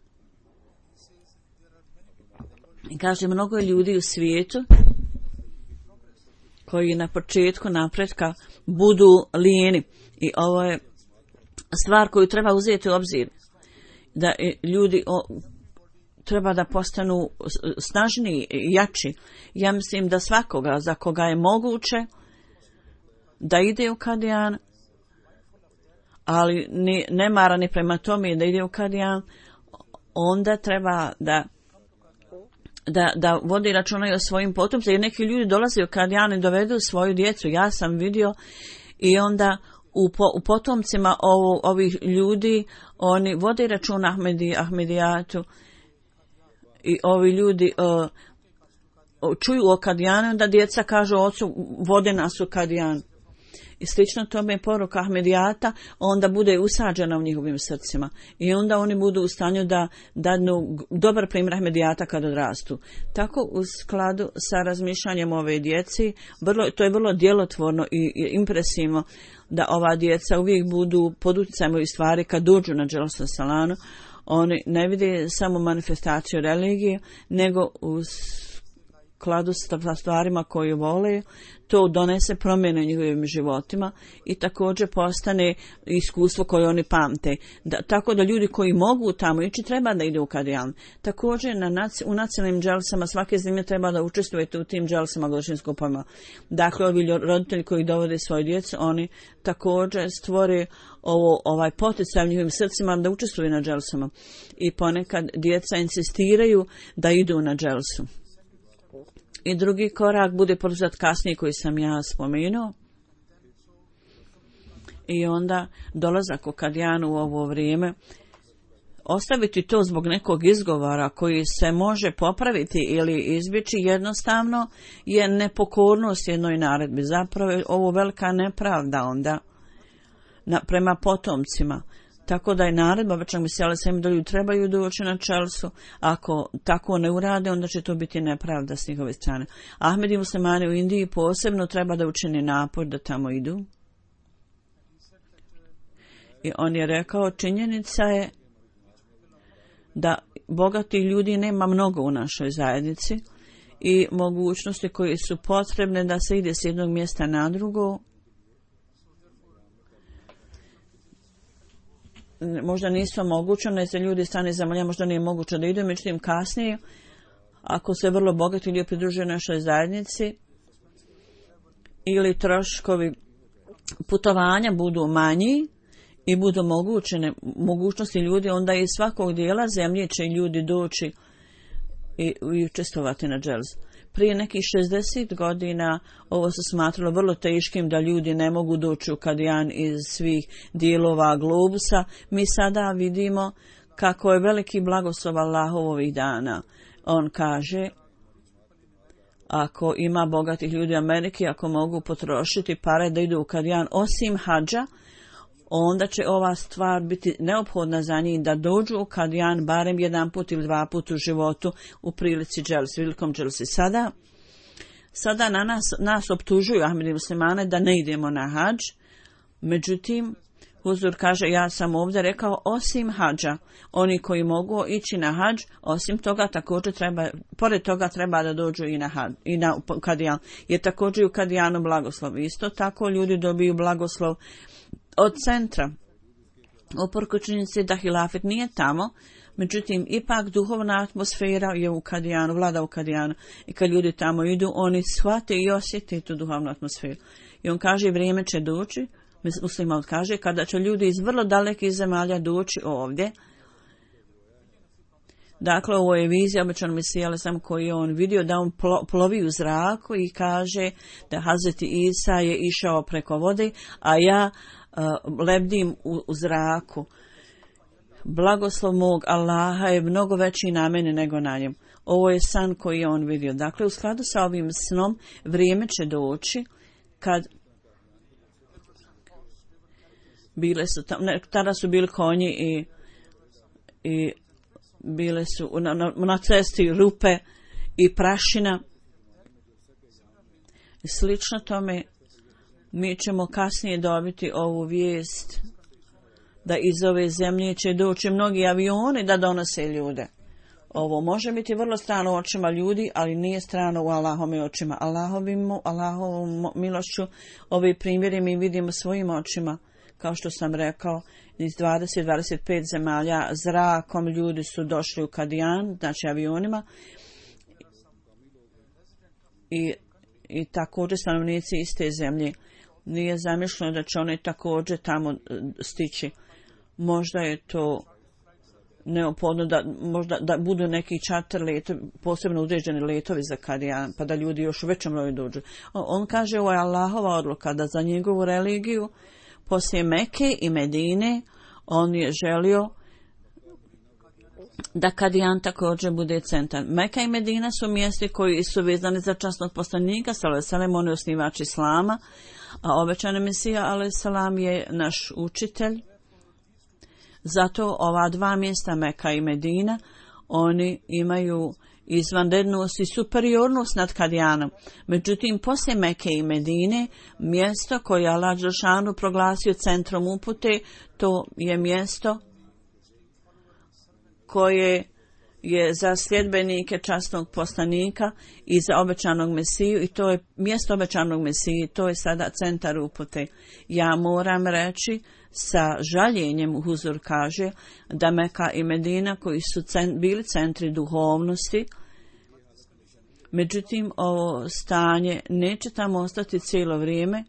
I kaže mnogo je ljudi u svijetu koji na početku napretka budu lijeni. I ovo je stvar koju treba uzeti u obzir. Da ljudi o, treba da postanu snažniji i jači. Ja mislim da svakoga za koga je moguće da ide u Kadijan, ali ne, ne mara ni prema tome da ide u Kadijan, onda treba da Da, da vodi računa i o svojim potomcima, jer neki ljudi dolaze u Kadijan i dovedu svoju djecu. Ja sam vidio i onda u, po, u potomcima ovo, ovih ljudi oni vode računa Ahmedi, Ahmedijatu i ovi ljudi uh, čuju o Kadijanu, da djeca kažu ocu vode nas u Kadijan. I slično tome je poruka Ahmedijata, onda bude usađena u njihovim srcima. I onda oni budu u stanju da dadnu dobar primjer Ahmedijata kad odrastu. Tako u skladu sa razmišljanjem ove djeci, vrlo, to je vrlo djelotvorno i, i impresivno da ova djeca uvijek budu pod utjecajem ovih stvari kad dođu na Dželsa Salanu. Oni ne vide samo manifestaciju religije, nego u skladu sa stvarima koje vole, to donese promjene u njihovim životima i također postane iskustvo koje oni pamte. Da, tako da ljudi koji mogu tamo ići treba da idu u Kadijan. Također na naci, u nacionalnim dželsama svake zemlje treba da učestvujete u tim dželsama godišnjim skupovima. Dakle, ovi roditelji koji dovode svoje djecu, oni također stvore ovo, ovaj poticaj u njihovim srcima da učestvuju na dželsama. I ponekad djeca insistiraju da idu na dželsu. I drugi korak bude poduzet kasnije koji sam ja spomenuo. I onda dolazak u Kadijanu u ovo vrijeme. Ostaviti to zbog nekog izgovora koji se može popraviti ili izbjeći jednostavno je nepokornost jednoj naredbi. Zapravo je ovo velika nepravda onda na, prema potomcima. Tako da je naredba, već mi se ali sam da ljudi trebaju doći na Čelsu. Ako tako ne urade, onda će to biti nepravda s njihove strane. Ahmedi muslimani u Indiji posebno treba da učini napor da tamo idu. I on je rekao, činjenica je da bogati ljudi nema mnogo u našoj zajednici i mogućnosti koje su potrebne da se ide s jednog mjesta na drugo možda nisu omogućene, za ljudi strane zemalja možda nije moguće da idu, međutim kasnije, ako se vrlo bogati ljudi pridružuju našoj zajednici ili troškovi putovanja budu manji i budu mogućene mogućnosti ljudi, onda iz svakog dijela zemlje će ljudi doći i, i učestvovati na dželzu. Prije nekih šezdeset godina ovo se smatralo vrlo teškim da ljudi ne mogu doći u Kadijan iz svih dijelova globusa. Mi sada vidimo kako je veliki blagoslov Allahov ovih dana. On kaže, ako ima bogatih ljudi u Ameriki, ako mogu potrošiti pare da idu u Kadijan osim hadža, onda će ova stvar biti neophodna za njih da dođu u Kadijan barem jedan put ili dva put u životu u prilici dželsi, velikom dželsi. Sada, sada na nas, nas optužuju Ahmedi muslimane da ne idemo na hadž, međutim, Huzur kaže, ja sam ovdje rekao osim hadža, oni koji mogu ići na hadž, osim toga također treba, pored toga treba da dođu i na, hadž, i na Kadijan, jer također u Kadijanu blagoslov. Isto tako ljudi dobiju blagoslov od centra. Uprkos činjenici da hilafet nije tamo, međutim ipak duhovna atmosfera je u Kadijanu, vlada u Kadijanu. I kad ljudi tamo idu, oni shvate i osjete tu duhovnu atmosferu. I on kaže, vrijeme će doći, muslima kaže, kada će ljudi iz vrlo dalekih zemalja doći ovdje, Dakle, ovo je vizija obećanog Mesija alejhi selam koji je on vidio da on plovi u zraku i kaže da Hazreti Isa je išao preko vode, a ja uh, lebdim u, u zraku. Blagoslov mog Allaha je mnogo veći na mene nego na njem. Ovo je san koji je on vidio. Dakle, u skladu sa ovim snom vrijeme će doći kad bile su tam, ne, tada su bili konji i, i bile su na, na, na cesti rupe i prašina. I slično tome mi ćemo kasnije dobiti ovu vijest da iz ove zemlje će doći mnogi avioni da donose ljude. Ovo može biti vrlo strano u očima ljudi, ali nije strano u Allahovim očima. Allahovim, Allahovom milošću ove primjere mi vidimo svojim očima. Kao što sam rekao, iz dvadeset do dvadeset pet zemalja zrakom ljudi su došli u Kadijan, znači avionima. I, i također stanovnici iste zemlje. Nije zamišljeno da će oni također tamo stići. Možda je to neophodno da, možda, da budu neki čarter letovi, posebno određeni letovi za Kadijan, pa da ljudi još u većem broju dođu. On, on kaže, ovo je Allahova odluka da za njegovu religiju poslije Mekke i Medine on je želio da Kadijan također bude centar. Meka i Medina su mjesti koji su vezani za časnog poslanika, sallallahu alejhi ve sellem, on je osnivač Islama, a obećani Mesija alejhi selam je naš učitelj. Zato ova dva mjesta, Meka i Medina, oni imaju izvanrednost i superiornost nad Kadijanom. Međutim, poslije Meke i Medine, mjesto koje je Allah dželešanu proglasio centrom upute, to je mjesto koje je za sljedbenike časnog poslanika i za obećanog Mesiju, i to je mjesto obećanog Mesije, to je sada centar upute. Ja moram reći sa žaljenjem, Huzur kaže da Meka i Medina koji su cent, bili centri duhovnosti, međutim ovo stanje neće tamo ostati cijelo vrijeme.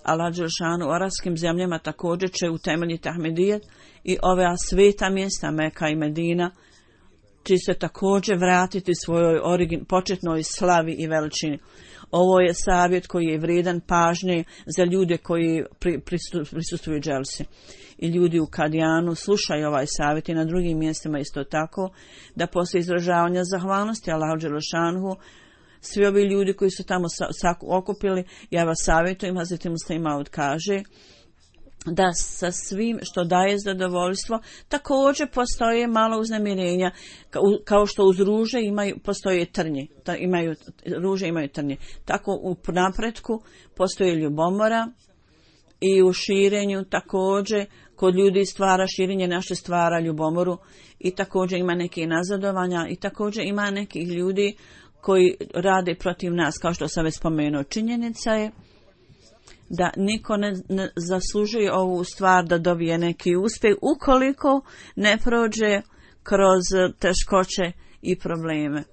Allah dželešanu u arapskim zemljama također će utemeljiti Ahmedijet i ove sveta mjesta Meka i Medina će se također vratiti svojoj origin, početnoj slavi i veličini. Ovo je savjet koji je vrijedan pažnje za ljude koji pri, prisustuju dželsi. I ljudi u Kadijanu slušaju ovaj savjet i na drugim mjestima isto tako, da poslije izražavanja zahvalnosti Allahu dželešanhu svi ovi ljudi koji su tamo sa, sa, okupili, ja vas savjetujem, Hazreti Musleh Maud kaže da sa svim što daje zadovoljstvo također postoje malo uznemirenja, kao što uz ruže imaju, postoje trnje, ta, imaju, ruže imaju trnje. Tako u napretku postoje ljubomora i u širenju također kod ljudi stvara širenje, naše stvara ljubomoru i također ima neke nazadovanja i također ima nekih ljudi koji rade protiv nas, kao što sam već spomenuo. Činjenica je da niko ne, ne zaslužuje ovu stvar da dobije neki uspjeh ukoliko ne prođe kroz teškoće i probleme.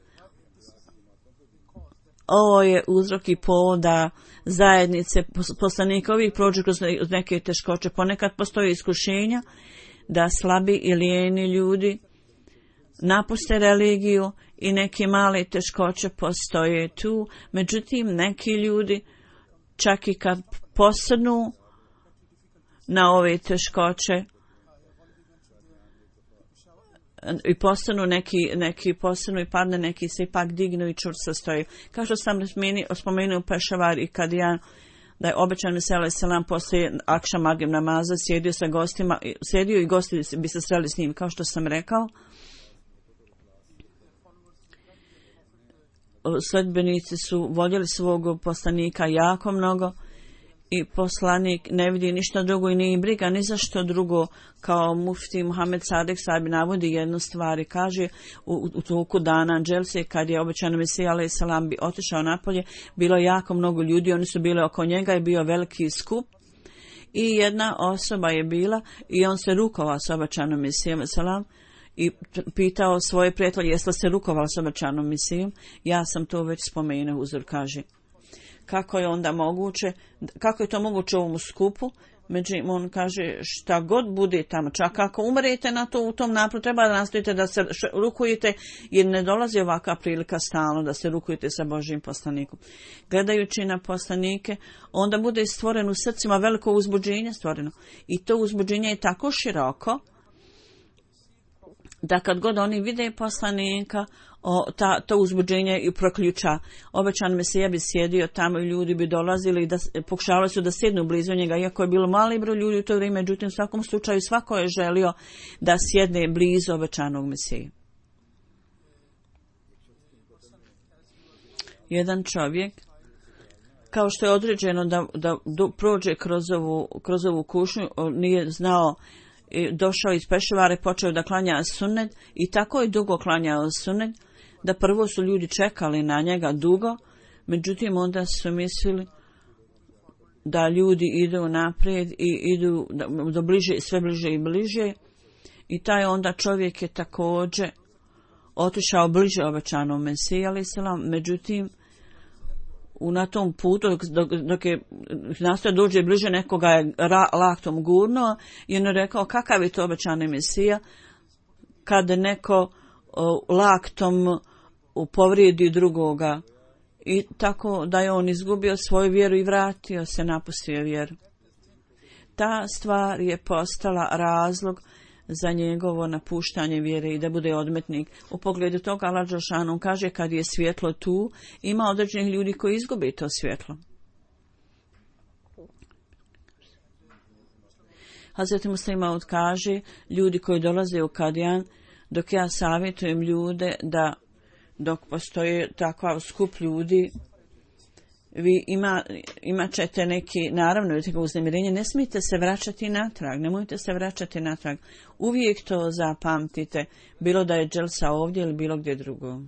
Ovo je uzrok i povod da zajednice poslanika ovih prođu kroz neke teškoće. Ponekad postoje iskušenja da slabi i lijeni ljudi napuste religiju i neke male teškoće postoje tu. Međutim, neki ljudi čak i kad posrnu na ove teškoće i postanu neki, neki posrnu i padne, neki se ipak dignu i čvrsto stoji. Kao što sam spomenuo Pešavar i Kadijan, da je obećan Mesija alejhi selam poslije akša magrib namaza sjedio sa gostima, sjedio i gosti bi se sreli s njim, kao što sam rekao. Sledbenici su voljeli svog poslanika jako mnogo i poslanik ne vidi ništa drugo i nije briga ni za što drugo. Kao mufti Muhammed Sadek Sabi navodi jednu stvar i kaže u, u toku dana dželse kad je obećan Mesija alejhi selam bi otišao napolje, bilo jako mnogo ljudi, oni su bili oko njega i bio veliki skup i jedna osoba je bila i on se rukovao s obećanom Mesijom alejhi selam i pitao svoje prijatelje jeste se rukovali s obećanom Mesijom. Ja sam to već spomenuo, Huzur kaže. Kako je onda moguće, kako je to moguće u ovom skupu Međutim, on kaže šta god bude tamo, čak ako umrete na to u tom napru, treba da nastojite da se rukujete, jer ne dolazi ovakva prilika stalno da se rukujete sa Božjim poslanikom. Gledajući na poslanike, onda bude stvoreno u srcima veliko uzbuđenje stvoreno. I to uzbuđenje je tako široko, da kad god oni vide poslanika, o, ta, to uzbuđenje i proključa. Obećan Mesija bi sjedio tamo i ljudi bi dolazili, da, pokušavali su da sjednu blizu njega, iako je bilo mali broj ljudi u to vrijeme, međutim u svakom slučaju svako je želio da sjedne blizu obećanog Mesije. Jedan čovjek, kao što je određeno da, da, da prođe kroz ovu, kroz ovu kušnju, nije znao, došao iz Pešavara i počeo da klanja sunnet i tako je dugo klanjao sunnet da prvo su ljudi čekali na njega dugo, međutim onda su mislili da ljudi idu naprijed i idu do bliže, sve bliže i bliže i taj onda čovjek je također otišao bliže obećanom Mesiji alejhi selam, međutim u na tom putu dok, dok, dok je nastoje dođe bliže nekoga je ra, laktom gurnuo i on je rekao kakav je to obećani Mesija kad neko o, laktom povrijedi drugoga i tako da je on izgubio svoju vjeru i vratio se, napustio vjeru. Ta stvar je postala razlog za njegovo napuštanje vjere i da bude odmetnik. U pogledu toga Allah dželešanu kaže kad je svjetlo tu, ima određenih ljudi koji izgube to svjetlo. Hazreti Muslih Maud kaže, ljudi koji dolaze u Kadijan, dok ja savjetujem ljude da dok postoje takav skup ljudi, vi ima, imat ćete neki, naravno, vidite ga uznemirenje, ne smijete se vraćati natrag, nemojte se vraćati natrag. Uvijek to zapamtite, bilo da je dželsa ovdje ili bilo gdje drugo.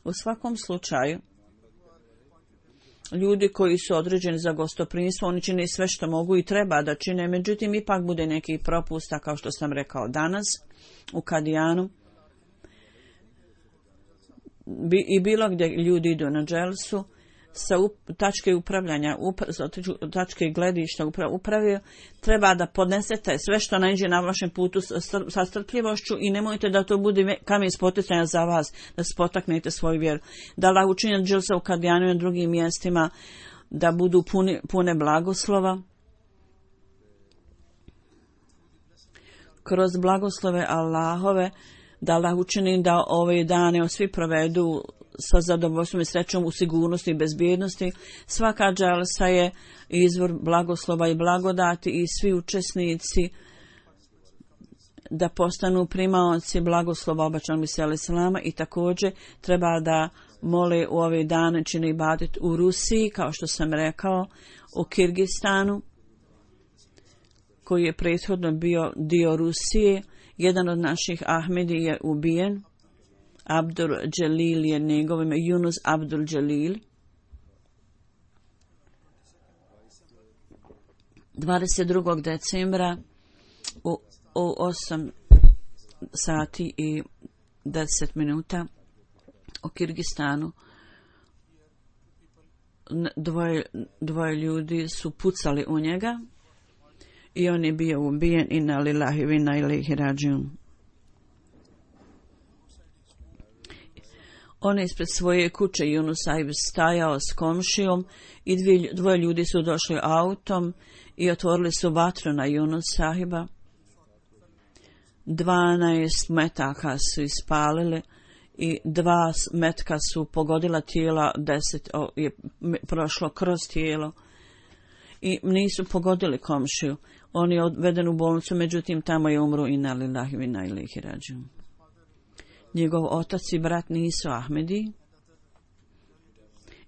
U svakom slučaju, ljudi koji su određeni za gostoprimstvo, oni čine sve što mogu i treba da čine, međutim, ipak bude neki propusta, kao što sam rekao danas, u Kadijanu. I bilo gdje ljudi idu na dželsu, sa up, tačke upravljanja, upra, tačke gledišta uprave, treba da podnesete sve što naiđe na vašem putu sa strpljivošću i nemojte da to bude kamen spoticanja za vas, da spotaknete svoju vjeru. Da Allah učini dželsa u Kadijanu i na drugim mjestima da budu puni, pune blagoslova. Kroz blagoslove Allahove, da Allah učini da ove dane svi provedu sa zadovoljstvom i srećom u sigurnosti i bezbjednosti. Svaka dželsa je izvor blagoslova i blagodati i svi učesnici da postanu primaoci blagoslova obećanog Mesije alejhi selama i također treba da mole u ove dane čine ibadet u Rusiji, kao što sam rekao, u Kirgistanu, koji je prethodno bio dio Rusije. Jedan od naših Ahmedi je ubijen. Abdul Jalil je njegov ime, Yunus Abdul Jalil. dvadeset drugog decembra u, u osam sati i deset minuta u Kirgistanu dvoje, dvoje ljudi su pucali u njega i on je bio ubijen. Inna lillahi wa inna ilaihi rađiun. On je ispred svoje kuće Yunus Saib stajao s komšijom i dvije, dvoje ljudi su došli autom i otvorili su vatru na Yunus Sahiba. Dvanaest metaka su ispalili i dva metka su pogodila tijela, deset o, je prošlo kroz tijelo i nisu pogodili komšiju. On je odveden u bolnicu, međutim tamo je umro. Inna lillahi wa inna ilaihi rađiun. Njegov otac i brat nisu Ahmedi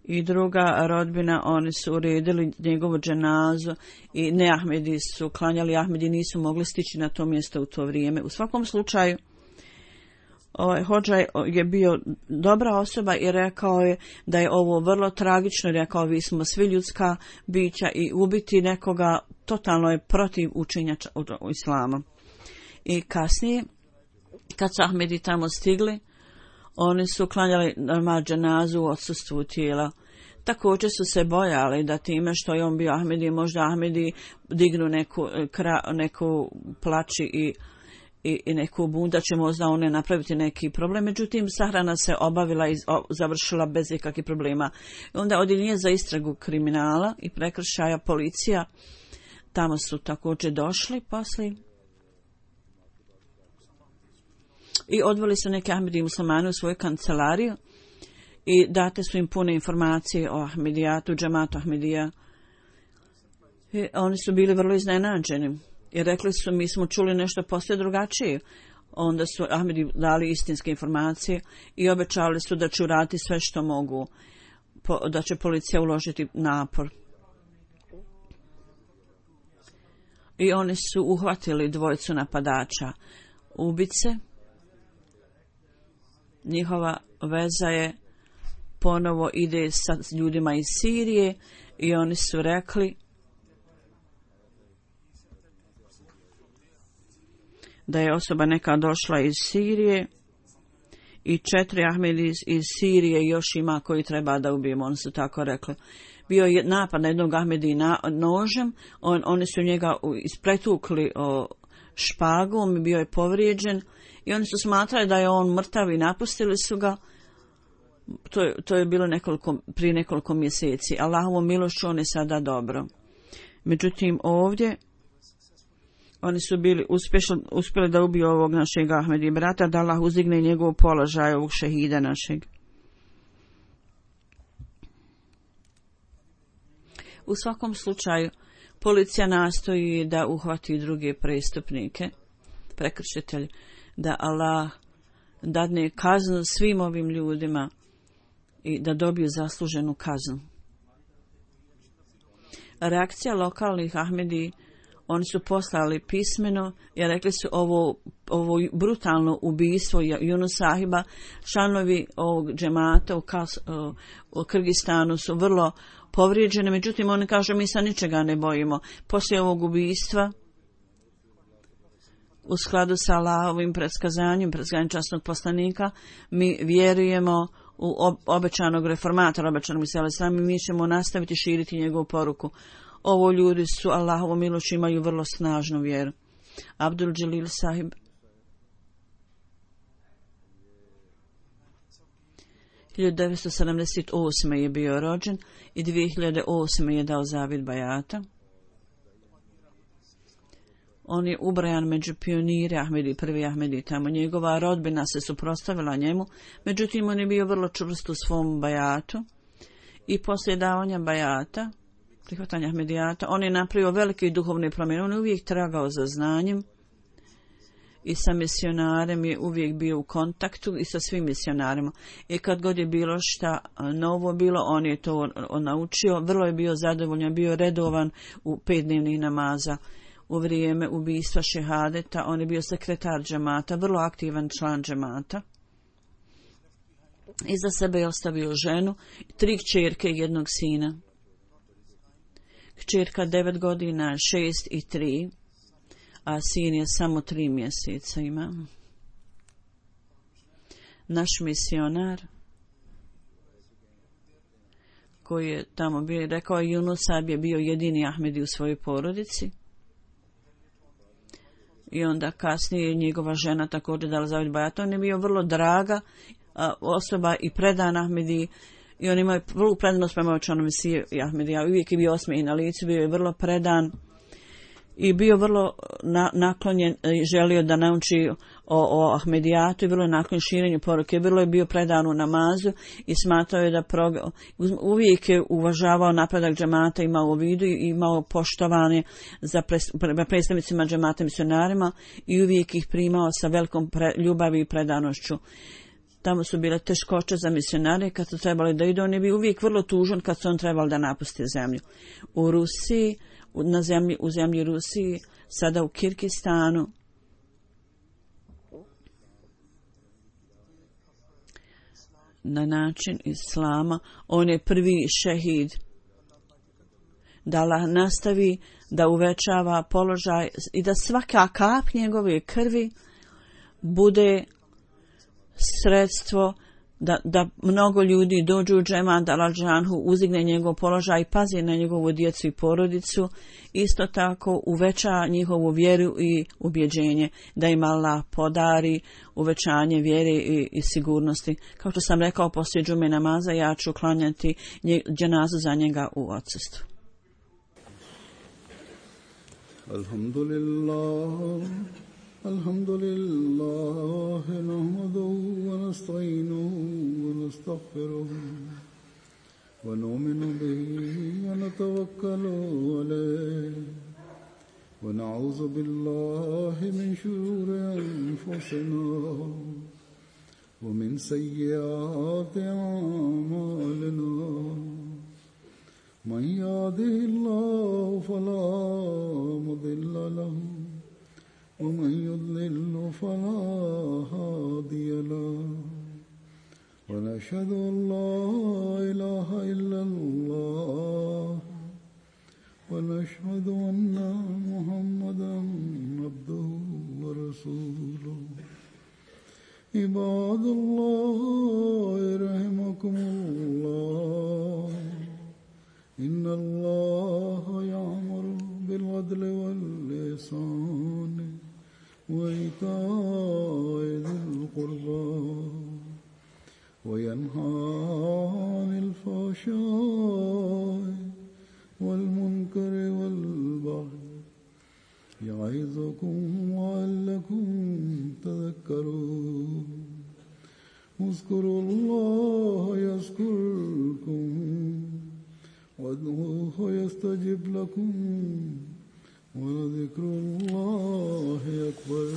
i druga rodbina, oni su uredili njegovu dženazu i ne Ahmedi su klanjali, Ahmedi nisu mogli stići na to mjesto u to vrijeme. U svakom slučaju, ovaj hodža je bio dobra osoba i rekao je da je ovo vrlo tragično, rekao vi smo svi ljudska bića i ubiti nekoga totalno je protiv učenja u islamu. I kasnije, kad su Ahmedi tamo stigli, oni su klanjali namaz dženazu u odsustvu tijela. također su se bojali da time što je on bio Ahmedi, možda Ahmedi dignu neku, kra, neku plači i, i, i neku bunda, će možda one napraviti neki problem. Međutim, sahrana se obavila i završila bez ikakvih problema. Onda odjeljenje za istragu kriminala i prekršaja policija, tamo su također došli poslije i odveli su neke Ahmedi muslimane u svoju kancelariju i date su im pune informacije o Ahmedijatu, džamatu Ahmedija. I oni su bili vrlo iznenađeni i rekli su, mi smo čuli nešto posve drugačije. Onda su Ahmedi dali istinske informacije i obećali su da će uraditi sve što mogu, da će policija uložiti napor. I oni su uhvatili dvojicu napadača, ubice. Njihova veza je ponovo ide sa ljudima iz Sirije i oni su rekli da je osoba neka došla iz Sirije i četiri Ahmedi iz, iz Sirije još ima koji treba da ubijemo, oni su tako rekli. Bio je napad na jednog Ahmedi na, nožem, on, oni su njega ispretukli o, špagom i bio je povrijeđen i oni su smatrali da je on mrtav i napustili su ga. To je, to je bilo nekoliko, prije nekoliko mjeseci. Allahovom milošću on je sada dobro. Međutim, ovdje oni su bili uspješni, uspjeli da ubiju ovog našeg Ahmedi brata, da Allah uzdigne njegov položaj, ovog šehida našeg. U svakom slučaju, policija nastoji da uhvati druge prestupnike, prekršitelji, da Allah dadne kaznu svim ovim ljudima i da dobiju zasluženu kaznu. Reakcija lokalnih Ahmedi, oni su poslali pismeno i rekli su ovo, ovo brutalno ubijstvo Yunus Sahiba, članovi ovog džemata u, Kas, u Kirgistanu su vrlo povrijeđeni, međutim oni kažu mi se ničega ne bojimo. Poslije ovog ubijstva, u skladu sa Allahovim predskazanjem, predskazanjem časnog poslanika, mi vjerujemo u obećanog reformatora, obećanog Isa alejhi selam, i mi ćemo nastaviti širiti njegovu poruku. Ovo ljudi su Allahovom milošću, imaju vrlo snažnu vjeru. Abdul Jalil Sahib hiljadu devetsto sedamdeset osme je bio rođen i dvije hiljade osme je dao zavid bajata. On je ubrajan među pionire Ahmedi, prvi Ahmedi tamo. Njegova rodbina se suprotstavila njemu, međutim on je bio vrlo čvrst u svom bajatu i poslije davanja bajata, prihvatanja Ahmedijata, on je napravio velike duhovne promjene. On je uvijek tragao za znanjem i sa misionarem je uvijek bio u kontaktu i sa svim misionarima. I kad god je bilo šta novo bilo, on je to on naučio. Vrlo je bio zadovoljan, bio redovan u pet dnevnih namaza. U vrijeme ubijstva šehadeta on je bio sekretar džemata, vrlo aktivan član džemata. Iza sebe je ostavio ženu, tri kćerke i jednog sina. Kćerka devet godina, šest i tri, a sin je samo tri mjeseca ima. Naš misionar koji je tamo bio, rekao je Yunus Sahib je bio jedini Ahmedi u svojoj porodici. I onda kasnije njegova žena također dala zavid bajat. On je bio vrlo draga a, osoba i predan Ahmedi. I on imao vrlo predanost prema očanom Mesije i Ahmedija. Uvijek je bio osmijeh na licu, bio je vrlo predan i bio vrlo na, naklonjen i želio da nauči o, o Ahmedijatu i vrlo je naklonjen širenju poruke. Vrlo je bio predan u namazu i smatrao je da prog... uvijek je uvažavao napredak džemata, imao u vidu i imao poštovanje za predstavnicima džemata misionarima i uvijek ih primao sa velikom pre, ljubavi i predanošću. Tamo su bile teškoće za misionare kad su trebali da idu. On je bio uvijek vrlo tužan kad su on trebali da napuste zemlju. U Rusiji, na zemlji, u zemlji Rusiji, sada u Kirgistanu, na način islama, on je prvi šehid. Da Allah nastavi da uvećava položaj i da svaka kap njegove krvi bude sredstvo da, da mnogo ljudi dođu u džemat, da Allah džanhu uzigne njegov položaj i pazi na njegovu djecu i porodicu, isto tako uveća njihovu vjeru i ubjeđenje, da im Allah podari uvećanje vjere i, i sigurnosti. Kao što sam rekao, poslije džume namaza ja ću klanjati nje, dženazu za njega u odsustvu. Alhamdulillah, alhamdulillah, nahmaduhu wa nasta'inuhu wa nastaghfiruhu wa nu'minu bihi wa natawakkalu alayhi wa na'udhu billahi min shururi anfusina wa min sayyiati a'malina. من يهده الله فلا مضل له ومن يضلل فلا هادي له ونشهد أن لا إله إلا الله ونشهد أن محمدا عبده ورسوله. عباد الله رحمكم الله، إن الله يأمر بالعدل والإحسان وإيتاء ذي القربى وينهى عن الفحشاء والمنكر والبغي يعظكم لعلكم تذكرون. اذكروا الله يذكركم وادعوه يستجب لكم ولذكر الله أكبر.